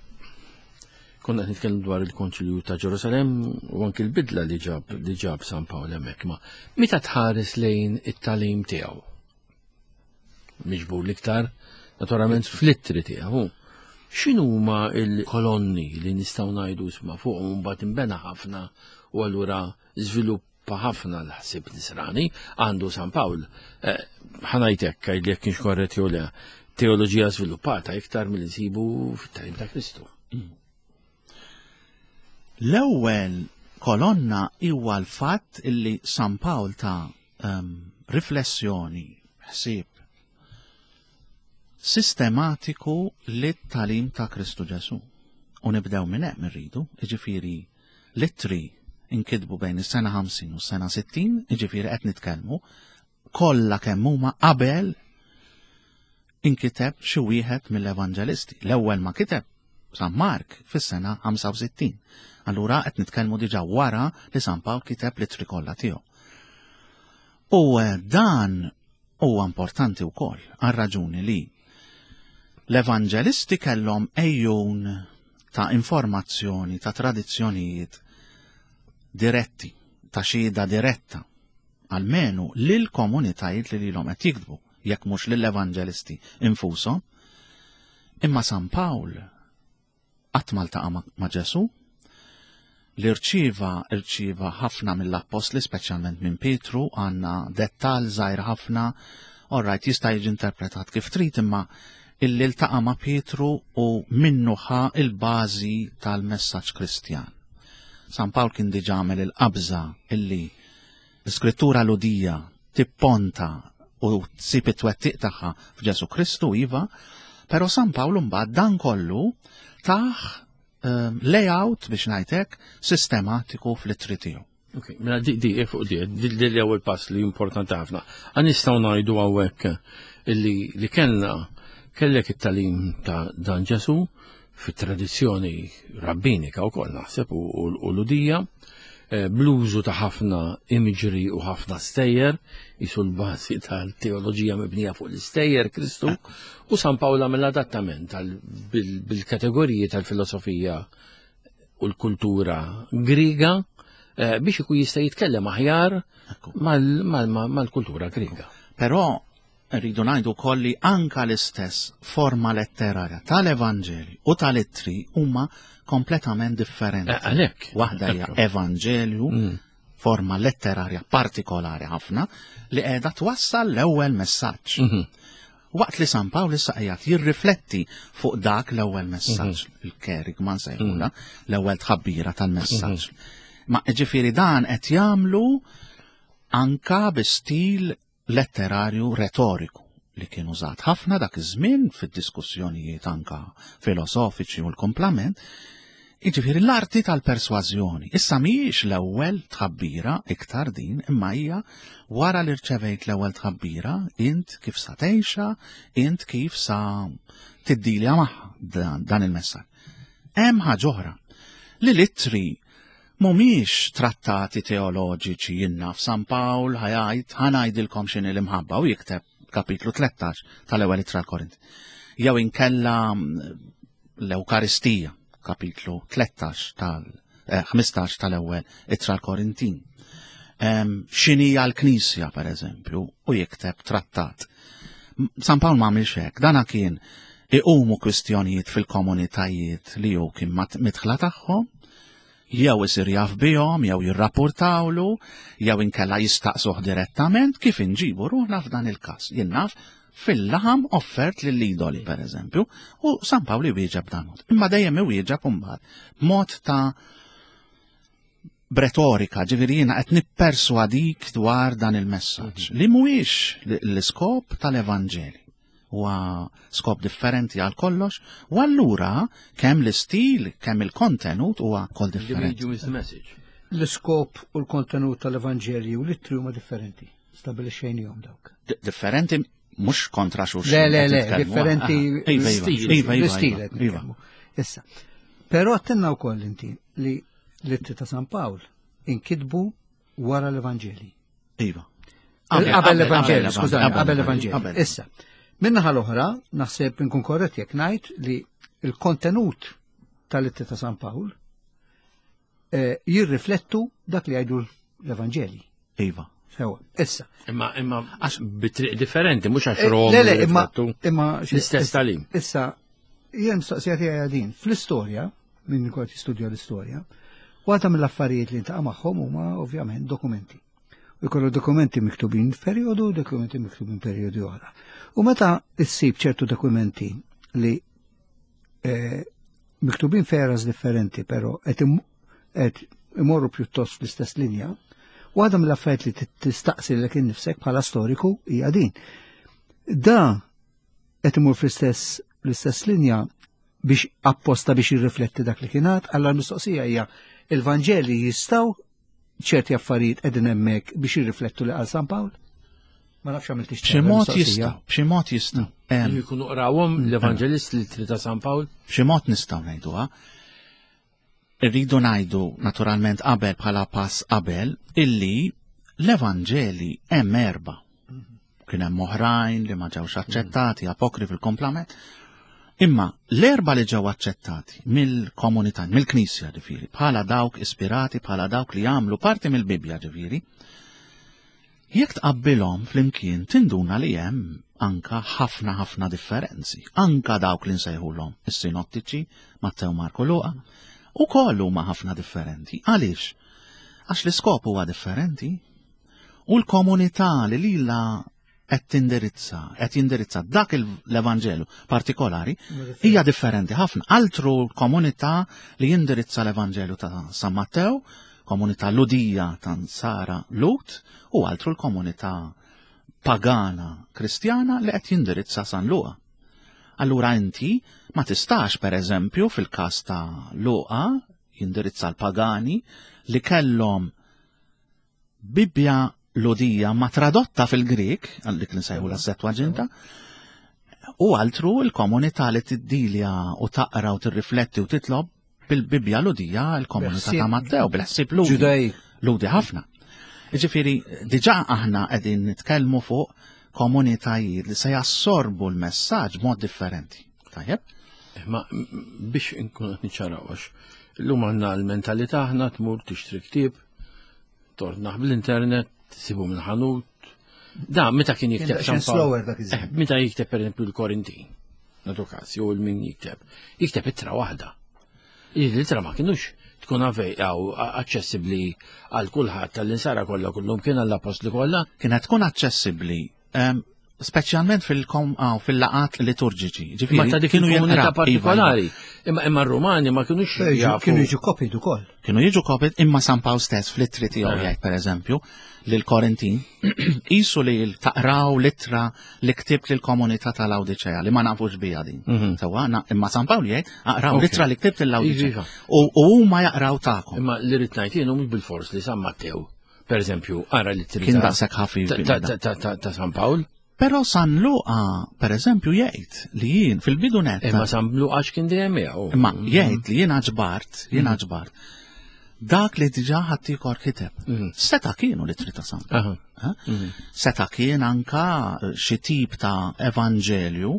konna qed nitkellmu dwar il-Konċilju ta' Ġerusalem u anki l-bidla li ġab li ġab San Pawl hemmhekk ma meta tħares lejn it-tagħlim tiegħu. Miġbur l-iktar naturalment fl-ittri tiegħu. X'inhuma il-kolonni li nistgħu ngħidu isma' fuqhom mbagħad inbena ħafna u allura żviluppa ħafna l-ħsieb nisrani għandu San Pawl. Eh, ħa ngħidlek għidli jekk kienx korrett jew le, teoloġija żviluppata iktar milli nsibu fit-tagħlim ta' Kristu. L-ewwel kolonna huwa l-fatt illi San Pawl ta um, riflessjoni, ħsieb sistematiku lit-tagħlim ta' Kristu Ġesu. U nibdew minn hemm irridu, jiġifieri l-ittri inkitbu bejn is-sena ħamsin u s-sena sittin, jiġifieri qed nitkellmu kollha kemm huma qabel inkiteb xi wieħed mill-evanġelisti. L-ewwel ma kiteb San Mark fis-sena ħamsa u sittin. Allura qed nitkellmu diġà wara li San Pawl kiteb l-ittri kollha tiegħu. U eh, dan huwa importanti wkoll għal raġuni li l-evanġelisti kellhom ejjun ta' informazzjoni, ta' tradizzjonijiet diretti, ta' xhieda diretta, almenu lil komunitajiet li lilhom qed jiktbu, jekk mhux lill-evanġelisti infushom. Imma San Pawl qatt ma ltaqa' ma' ma' Ġesu, li rċiva rċiva ħafna mill-appostli, speċjalment minn Pietru, għandna dettal żgħir ħafna, alright, jista' jiġi interpretat kif trid, imma illi ltaqa' ma' Pietru u minnu ħa il-bażi tal-messaġġ Kristjan. San Pawl kien diġà għamel il-qabża illi l-iskrittura Lhudija tipponta u tsib it-twettiq tagħha f'Ġesu Kristu, iva, però San Pawl mbagħad dan kollu tah um, layout biex ngħidlek sistematiku fl-ittri tiegħu. Ok, mela di di fuq di, di di l-ewwel pass li importanti ħafna. Għan nistgħu ngħidu hawnhekk illi li kellna kellek it-tagħlim ta' dan Ġesu fit-tradizzjoni rabbinika wkoll naħseb u, u, u Lhudija, eh, bl-użu ta' ħafna imagery u ħafna stejjer, jisu l-bażi tal-teoloġija mibnija fuq l-istejjer Kristu, u San Pawl għamel adattament tal- bil- bil-kategoriji tal-filosofija u l-kultura griga eh, biex ikun jista' jitkellem aħjar mal- mal- mal- mal-kultura griga. Però rridu ngħidu wkoll li anka l-istess forma letterarja tal-Evanġeli u tal-ittri huma kompletament differenti. Eh, Għalhekk. Waħda hija Ekku. Evanġelju, Mm. forma letterarja partikolari ħafna li qiegħda twassal l-ewwel messaġġ. Mhm. Waqt li San Pawl issa qiegħed jirrifletti fuq dak l-ewwel messaġġ, il-kerigma nsejħula, l-ewwel tħabbira tal-messaġġ. Ma ġifieri dan qed jagħmlu anka bi stil letterarju retoriku li kien użat ħafna dak iż-żmien fid-diskussjonijiet anka filosofiċi u l-komplament. Jiġifieri l-arti tal-persważjoni. Issa mhijiex l-ewwel tħabbira iktar din, imma hija wara li rċevejt l-ewwel tħabbira, int kif sa tgħixha, int kif sa tiddilja magħha dan, dan il-messaġġ. Hemm ħaġa oħra li l-ittri mhumiex trattati teoloġiċi. Jiena naf San Pawl ħa jgħid, "Ħa ngħidilkom x'inhi l-imħabba", u jikteb kapitlu tlettax tal-ewwel ittra l-Korint. Jew inkella mm, l-Ewkaristija, kapitlu tlettax tal eh, ħmistax tal-ewwel ittra l-Korintin. Em, X'inhija l-Knisja, per eżempju, u jikteb trattat. M- San Pawl ma għamilx hekk, dana kien iqumu kwistjonijiet fil-komunitajiet li hu kien mat- midħla tagħhom, jew isir jaf bihom, jew jirrapportawlu, jew inkella jistaqsuh direttament kif inġibu ruħna f'dan il-każ. Jien naf fil-laħam offert lill-idoli, per eżempju, u San Pawl iwieġeb dan mod. Imma dejjem iwieġeb imbagħad b'mod ta' b'retorika, ġifieri jiena qed nipperswadik dwar dan il-messaġġ li mhuwiex l-iskop tal-Evanġeli. Huwa skop differenti għal kollox, u allura kemm l-istil, kemm il-kontenut huwa kol The differenti. medium is the message. L-iskop u l-kontenut tal-Evanġelji u l-ittri huma differenti. Stabilixxejnihom dawk. D- Differenti mhux kontra xulxin. Le, le, qed le, nitkellmu. differenti. Aha. Iva, iva, Stil. iva, iva, L-istil iva, qed iva. nitkellmu. Issa, però għedtilna wkoll inti li l-ittri ta' San Pawl inkitbu wara l-Evanġeli. Iva. Qabel l-Evanġeli, skużani, qabel l-Evanġeli. Qabel. Issa, minnaħa l-oħra, naħseb nkun korrett jekk ngħid li il-kontenut tal-ittri ta' San Pawl eh, jirriflettu dak li jgħidu l-Evanġeli. Iva. Sewa, issa. Imma imma għax bitriq differenti, mhux għax Eh, Rom Le, le, imma jirriflettu imma l-istess tagħlim. Issa, jien mistoqsija tiegħi din, fl-istorja, minn kont jistudja l-istorja, waħda mill-affarijiet li ntaqa' magħhom huma ovvjament dokumenti. U jkollu dokumenti miktubin f'perjodu, dokumenti miktubin perjodi oħra. U meta issib ċertu dokumenti li eh, miktubin f'eras differenti, però qed im- qed imorru pjuttost fl-istess linja, waħda mill-affarijiet li tistaqsi lilek innifsek bħala storiku hija din. Da qed imur fl-istess l-istess linja biex apposta biex jirrifletti dak li kien għad, alla l-mistoqsija hija il-Vanġeli jistgħu ċerti affarijiet qegħdin hemmhekk biex jirriflettu li qal San Pawl? Ma nafx għamilt B'xi mod jistgħu, b'xi mod jistgħu. Em, Li jkunu qrawhom l-Evanġelist l-ittri ta' San Pawl. B'xi mod nistgħu ngħiduha. Irridu ngħidu naturalment qabel bħala pass qabel illi l-Evanġeli hemm erba. Kien hemm oħrajn li ma ġewx aċċettati, apokri fil-komplament. Imma l-erba li ġew aċċettati mill-komunità, mill-Knisja ġifieri, bħala dawk ispirati, bħala dawk li jagħmlu parti mill-Bibbja ġifieri, jekk tqabbilhom flimkien tinduna li hemm anka ħafna ħafna differenzi. Anka dawk li nsejħulhom is-sinottiċi, Mattew, Marko, Luqa, ukoll huma ħafna differenti. Għaliex? Għax l-iskop huwa differenti. U l-komunità li lila qed tindirizza, qed jindirizza dak l-Evanġelu partikolari hija differenti ħafna. Altru l-komunità li jindirizza l-Evanġelu ta' San Mattew, komunità Ludija ta' Nsara Lut, u altru l-komunità pagana kristjana li qed jindirizza San Luqa. Allura inti ma tistax, per eżempju, fil-każ ta' Luqa jindirizza l-pagani li kellhom Bibbja Ludija ma tradotta fil-Grik, għal dik li nsejħu la Septuaginta, u altru l-komunità li tiddilja u taqra u tirrifletti u titlob bil-Bibbja Ludija, l-komunità ta' Mattew, bil-ħsieb Ludi. Ġudaj. Ludi ħafna. Ġifieri, diġà aħna qegħdin nitkellmu fuq komunitajiet li se jassorbu l-messaġġ b'mod differenti. Tajjeb? Ma biex inkun qed niċċaraw, għax illum għandna l-mentalità aħna tmur tixtri ktieb, tornaħ bl-internet, tsibu minn ħanut. Da, meta kien jikteb Kien San Pawl. slower dak iż-żmien. Eh, meta jikteb per eżempju l-Korintin, nagħtu każ, jew il-min jikteb, jikteb ittra waħda. L-ittra ma kienux tkun għaw aċċessibbli għal kulħadd, tal-insara kollha kullum kien għall-apostli kollha. Kienet tkun aċċessibbli, ehm, speċjalment fil-kom ah, fil-laqat liturġiċi. Ġifieri, Ma ta' dik kienu il-komunità jinqraw, iva, iva. partikolari. Imma imma r-Rumani ma kienux jafu. Kienu jiġu copied ukoll. Kienu jiġu copied, imma San Pawl stess fl-ittri tiegħu Eh. jgħid, pereżempju, lil Korintin, qisu li taqraw l-ittra li ktibt lill-komunità tal-Awdiċea li ma nafux biha din. Mhm. Sewwa, na- imma San Pawl jgħid aqraw Ok. l-ittra li ktibt lill-Awdiċea. Iva. U u huma jaqraw tagħkom. Imma li rrid ngħid jien mhux bil-fors li San Mattew, per eżempju, ara l-ittri Kien ta' daqshekk ħafif ta' ta' ta' ta' ta' San Pawl. Però San Luqa, per eżempju, jgħid li jien fil-bidu netta. Imma San Luqa x'kien dejjem miegħu. Imma jgħid li jiena ġbart, jiena ġbart dak li diġà ħaddieħor kiteb. Mhm. Seta kienu l-ittri ta' San Pawl. Aha. Eh? Seta kien anka xi tip ta' evanġelju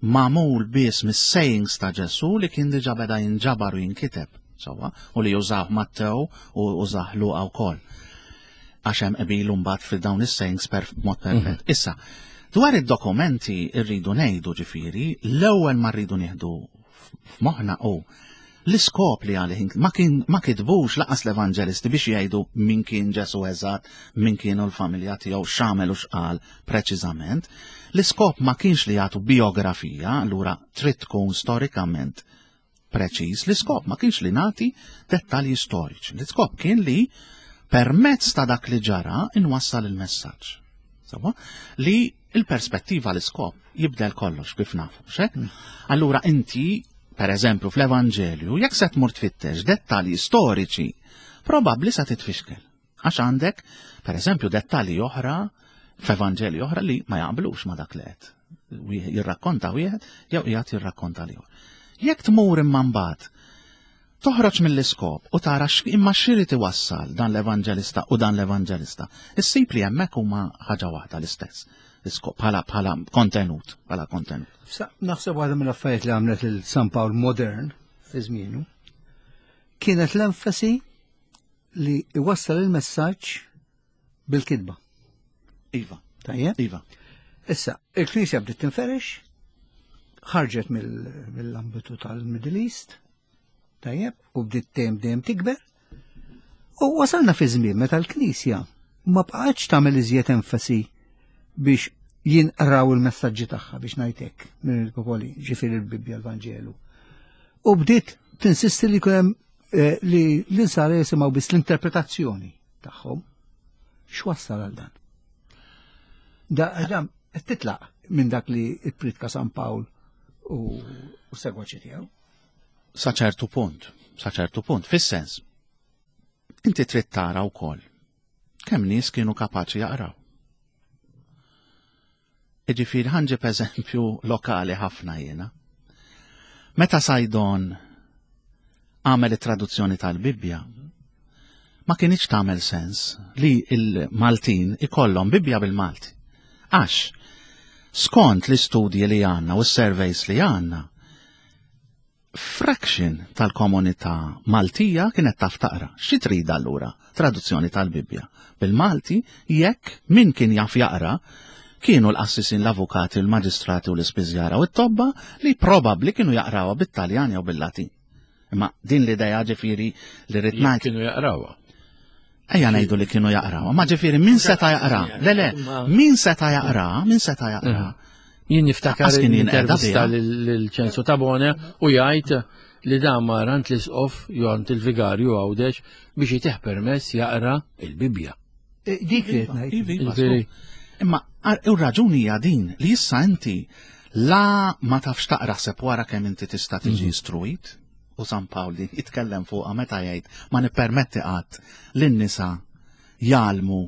magħmul biss mis-sayings ta' Ġesu li kien diġà beda jinġabar u jinkiteb, sewwa, u li jużah Mattew u użah Luqa wkoll. Għax hemm qbil mbagħad fil dawn is-sayings per mod perfett. Issa, dwar id-dokumenti rridu ngħidu, ġifieri, l-ewwel ma rridu nieħdu f'moħħna hu l-iskop li għalih ma kien ma kitbux lanqas l-evanġelisti biex jgħidu min kien Ġesu eżatt, min kienu l-familja tiegħu, x'għamel u x'qal preċiżament. L-iskop ma kienx li jagħtu biografija, allura trid tkun storikament preċiż. L-iskop ma kienx li nagħti dettalji storiċi. L-iskop kien li permezz ta' dak li ġara inwassal il-messaġġ. Sewwa? Li il-perspettiva, l-iskop jibdel kollox, kif nafu, xek? Allura inti, per eżempju, fl-Evanġelju, jekk se tmur tfittex dettalji storiċi, probabbli se titfixkel. Għax għandek, per eżempju, dettalji oħra f'Evanġelji oħra li ma jaqblux ma dak li qed wieħed jirrakkonta wieħed jew qiegħed jirrakkonta l Jekk tmur imma mbagħad toħroġ mill-iskop u tara x- imma x'irid iwassal dan l-evanġelista u dan l-evanġelista, issib li hemmhekk huma ħaġa waħda, l-istess. L-iskop bħala bħala kontenut, bħala kontenut. Sa- Naħseb waħda mill-affarijiet li għamlet il-San Pawl modern fi żmienu kienet l-enfasi li iwassal il-messaġġ bil-kitba. Iva, Tajjeb? Iva. Issa, il-Knisja bdiet tinferex, ħarġet mill- mill-ambitu tal-Middle East, tajjeb, u bdiet dejjem dejjem tikber. U wasalna fi żmien meta l-Knisja ma bqgħetx tagħmel iżjed enfasi biex jinqraw il-messaġġi tagħha, biex ngħidlek, minn il-popoli, ġifieri il-Bibbja, l-Vanġelu. U bdiet tinsisti li jkun hemm eh, li l-insara jisimgħu biss l-interpretazzjoni tagħhom. X'wassal għal dan? Da, da, qed titlaq minn dak li ippritka San Pawl u, u segwaċi tiegħu. Sa ċertu punt, sa ċertu punt, fis-sens. Inti trid tara wkoll kemm nies kienu kapaċi jaqraw. Iġifieri ħa nġib eżempju lokali ħafna jiena. Meta Saydon għamel it-traduzzjoni tal-Bibbja, ma kienx tagħmel sens li il-Maltin ikollhom Bibbja bil-Malti. Għax, skont l-istudji li għandna u s-surveys li għandna, fraction tal-komunità Maltija kienet taf taqra. Xi trid allura traduzzjoni tal-Bibbja bil-Malti jekk min kien jaf jaqra kienu l-qassisin, l-avukati, l-maġistrati u l-ispiżjara u t-tobba li probabbli kienu jaqrawha bit-Taljan jew bil-Latin. Imma din l-idea, ġifieri, li rrid Jekk ngħid kienu jaqrawha. Ejja ngħidu li kienu jaqraw, ma ġifieri min seta' jaqra? Le le, min seta' jaqra, min seta' jaqra. Jien niftakar Lanqas kien jinqeda intervista biha. lil Ċensu Tabone u jgħid li dan mar għand l-isqof jew għand il-vigarju Għawdex biex jtih permess jaqra il-Bibja. Eh, Dik li qed ngħid. Iva, iva, Ġifieri- żgur. Imma ar- u raġuni hija din li issa inti la ma tafx taqra sew wara kemm inti tista' tiġi istruit u San Pawl din jitkellem fuqha meta jgħid ma nippermetti qatt lin-nisa jgħallmu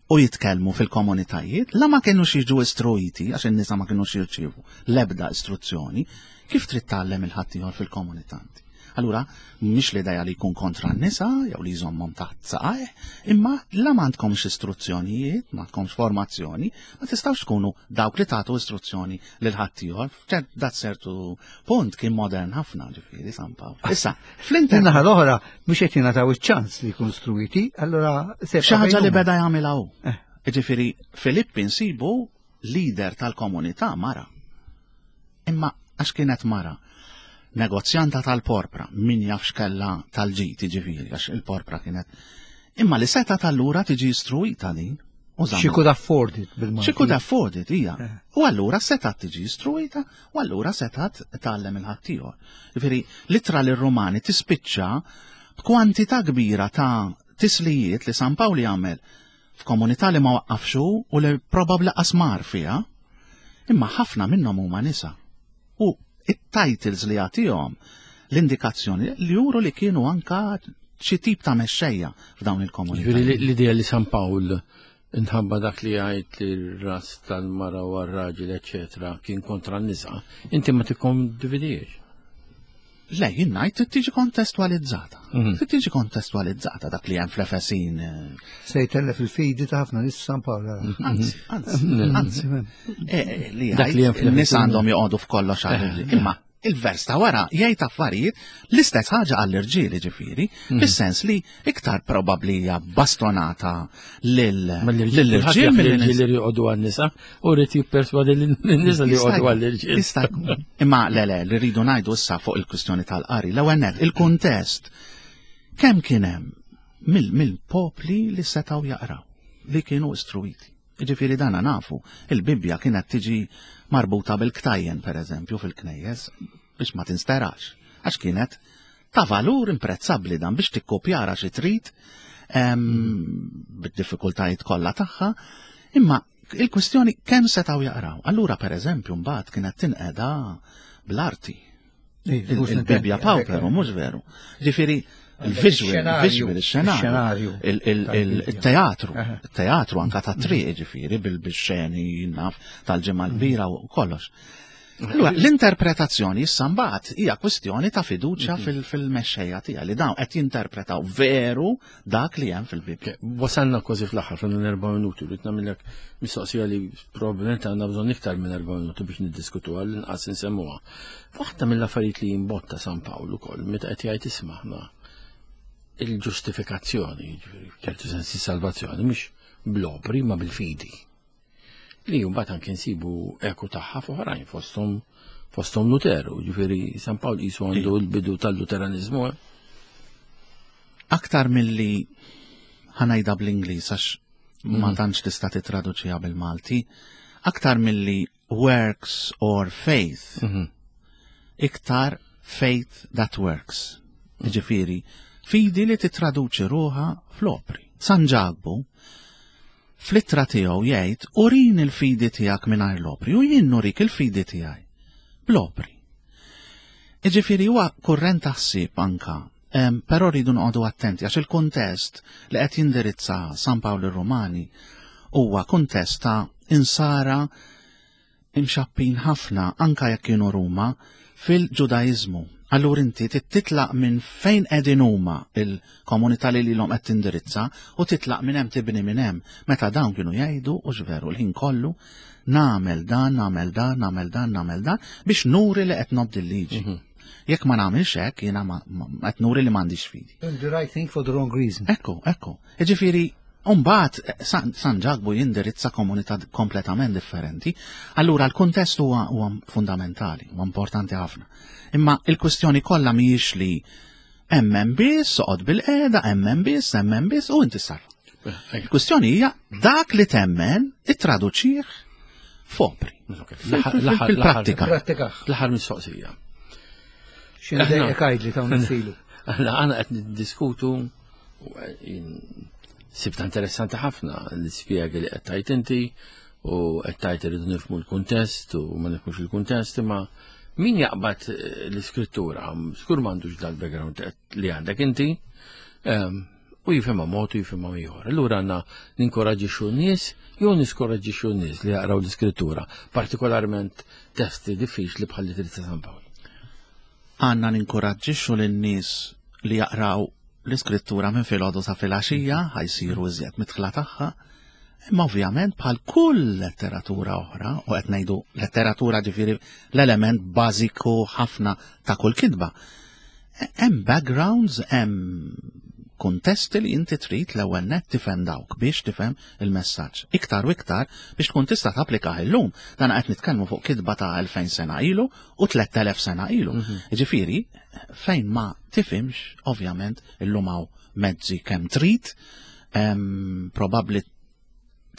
u jitkellmu fil-komunitajiet, la ma kienux jiġu istruiti, għax in-nisa ma kienux jirċievu l-ebda istruzzjoni, kif trid tgħallem il-ħaddieħor fil-komunità inti? Allura, mhix l-idea li jkun kontra n-nisa, jew li jżommhom taħt saqajh, imma la ma għandkomx istruzzjonijiet, ma għandkomx formazzjoni, ma tistgħux tkunu dawk li tagħtu istruzzjoni lil ħaddieħor. Ċert dat sertu punt kien modern ħafna ġifieri San Pawl. Issa, fl-inter Min-naħa l-oħra mhux qed jingħataw iċ-ċans li jkunu struwiti, allura se xi ħaġa li beda jagħmilha hu. Eh. Ġifieri Filippi nsibu leader tal-komunità mara. Imma għax kienet mara, negozjanta tal-porpra, min jaf x'kella tal-ġiti ġifieri, għax il-porpra kienet. Imma li seta tal-lura tiġi istruita din. U She żammet. could afford it bil-Malti. She could afford it, hija. Eh. U allura setat tiġi istruita, u allura setat tgħallem il-ħaddieħor. Ġifieri, l-ittra lir-Rumani tispiċċa b'kwantità kbira ta' tislijiet li San Pawl jagħmel f'komunità li ma waqqafxu u li probabbli qasmar fiha, imma ħafna minnhom huma nisa. U it-titles li jagħtihom l-indikazzjoni li juru li kienu anka xi tip ta' mexxejja f'dawn il-komunità. Ġifieri l-idea li San Pawl inħabba dak li jgħid li r-ras tal-mara u r-raġel, eċetera, kien kontra n-nisa, inti ma tikkondividiex. Le, jien ngħid trid tiġi kontestualizzata. Mhm. Trid tiġi kontestualizzata dak li hemm fl-Efesin. eh, Se jtellef il-fidi ta' ħafna nies San Pawl. Anzi, anzi, anzi. Eh, eh, Li Dak li hemm jgħid, in-nies fl-Efesin. għandhom joqogħdu f'kollox għall Imma il-vers ta' wara jgħid affarijiet l-istess ħaġa għall-irġiel ġifieri, fis-sens li iktar probabbli hija bastonata lil Ma l-irġiel lill-irġiel milli l-irġiel li joqogħdu għan-nisa u rrid jipperswadi lin-nisa li Jista' joqogħdu jkun, għall-irġiel. jista' jkun. Imma le le, li rridu ngħidu issa fuq il-kwistjoni tal-qari, l-ewwel nett, il-kuntest kemm kien hemm mill- mill-popli li setgħu jaqraw, li kienu istruiti. Ġifieri dana nafu, il-Bibbja kienet tiġi marbuta bil-ktajjen, per eżempju, fil-knejjes, biex ma tinsterax, għax kienet ta' valur imprezzabbli dan biex tikkopjara xi trid em, bid-diffikultajiet kollha tagħha, imma il-kwistjoni kemm setgħu jaqraw. Allura per eżempju mbagħad kienet tinqeda bl-arti. Il-Bibbja Pauperum, mhux veru. Ġifieri il-visual, il-visual, il-xenarju, il-teatru, il-teatru anka ta' triq ġifieri bil-xeni naf tal-ġimgħa l-kbira u kollox. Allura, l-interpretazzjoni issa mbagħad hija kwistjoni ta' fiduċja fil-mexxejja tiegħi li dawn qed jinterpretaw veru dak li hemm fil-Bibbja. Wasalna kważi fl-aħħar fil erba' minuti, rrid nagħmilek mistoqsija li probabbilment għandna bżonn iktar minn erba' minuti biex niddiskutu għal inqas insemmuha. Waħda mill-affarijiet li jimbotta San Pawl ukoll meta qed jgħid isma' il-ġustifikazzjoni, ġifieri, ċertu sensi salvazzjoni, mhux bl-opri ma bil-fidi. Li mbagħad anke nsibu eku tagħha f'oħrajn fosthom fosthom Luteru, ġifieri San Pawl qisu għandu l-bidu tal-Luteranizmu. eh? Aktar milli ħa ngħidha bl-Ingliż għax ma tantx tista' titraduċiha bil-Malti, aktar milli works or faith, iktar faith that works. Ġifieri, fidi li titraduċi ruħha fl-opri. San Ġakbu, fl-ittra tiegħu jgħid urini l-fidi tiegħek mingħajr l-opri u jien nurik il-fidi tiegħi bl-opri. Iġifieri huwa kurrent ta' ħsieb anka, em, però rridu noqogħdu attenti għax il-kuntest li qed jindirizza San Pawl ir-Rumani huwa kuntest ta' insara imxappin ħafna anka jekk kienu Ruma fil-Ġudaiżmu. Allura inti titlaq minn fejn qegħdin huma il-komunità li lilhom qed tindirizza u titlaq minn hemm tibni minn hemm. Meta dawn kienu jgħidu u veru l-ħin kollu nagħmel dan, nagħmel dan, nagħmel dan, nagħmel dan biex nuri li qed nobdi l-liġi. Jekk ma nagħmilx hekk jiena ma- ma- qed nuri li m'għandix fidi. The right thing for the wrong reason. Ekku, ekku. Ġifieri, Umbagħad, San, San Ġakbu jindirizza komunità kompletament differenti, allura l-kuntest huwa huwa fundamentali, huwa importanti ħafna. Imma il-kwistjoni kollha mhijiex li Emmen biss, oqgħod bil-qiegħda, emmen biss, emmen biss, u inti sar. Il-kwistjoni hija dak li temmen ittraduċih f'opri. Fil-prattika. Prattika. L-aħħar mistoqsija. X'inhu dejjek għidli ta' nissilu. Aħna għana qed niddiskutu u jien sibta interessanti ħafna l-ispjegi li qed tajt inti u qed tajt irridu nifhmu l-kuntest u ma nifhmux il-kuntest, imma min jaqbad eh, l-iskrittura, skur m'għandux dal-background li għandek inti, ehm, u jifhimha mod u jifhimha ieħor. Allura għandna ninkoraġġixxu n-nies jew niskoraġġixxu n-nies li jaqraw l-iskrittura, partikolarment testi diffiċli bħal li ta' San Pawl. Għandna ninkoraġġixxu lin-nies li jaqraw l-iskrittura minn filgħodu sa filgħaxija, ħa jsiru iżjed midħla tagħha, imma ovvjament bħal kull letteratura oħra, u qed ngħidu letteratura ġifieri l-element bażiku ħafna ta' kull kitba. Hemm backgrounds, hemm kuntesti li inti trid l-ewwel nett tifhem dawk biex tifhem il-messaġġ. Iktar u iktar biex tkun tista' tapplikah illum. Dan qed nitkellmu fuq kitba ta' elfejn sena ilu u tlett elef sena ilu. Ġifieri, fejn ma tifhimx, ovvjament illum hawn mezzi kemm trid, em, probabbli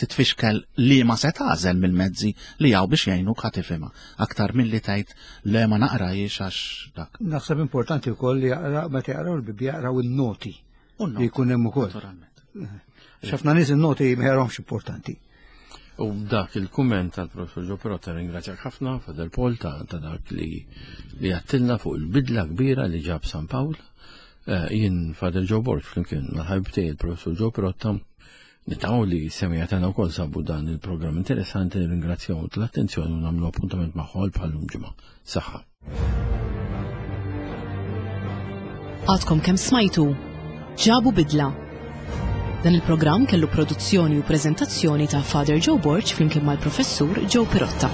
titfixkel li ma se tagħżel mill-mezzi li hawn biex jgħinuk ħa tifhimha. Aktar milli tgħid le ma naqrajx għax dak. Naħseb importanti wkoll li jaqra meta jaqraw il-Bibbja jaqraw in-noti U li jkun hemm ukoll. Naturalment. Ħafna nies in-noti ma jaqrawhomx importanti. U dak il-kumment tal-professor Joe Pirotta, ringrazzjak ħafna, Father Paul, ta' ta' dak li li għedtilna fuq il-bidla kbira li ġab San Pawl. Eh, Jien Father Joe Borg flimkien mal-ħabib tiegħi il-professor Joe Pirotta nittamaw li s-semmiegħa tagħna wkoll sabu dan il-programm interessanti, nirringrazzjaw tal-attenzjoni u nagħmlu appuntament magħhom bħal-lum ġimgħa. Saħħa. Għadkom kemm smajtu Ġabu Bidla. Dan il-programm kellu produzzjoni u preżentazzjoni ta' Father Joe Borg flimkien mal-professur Joe Pirotta.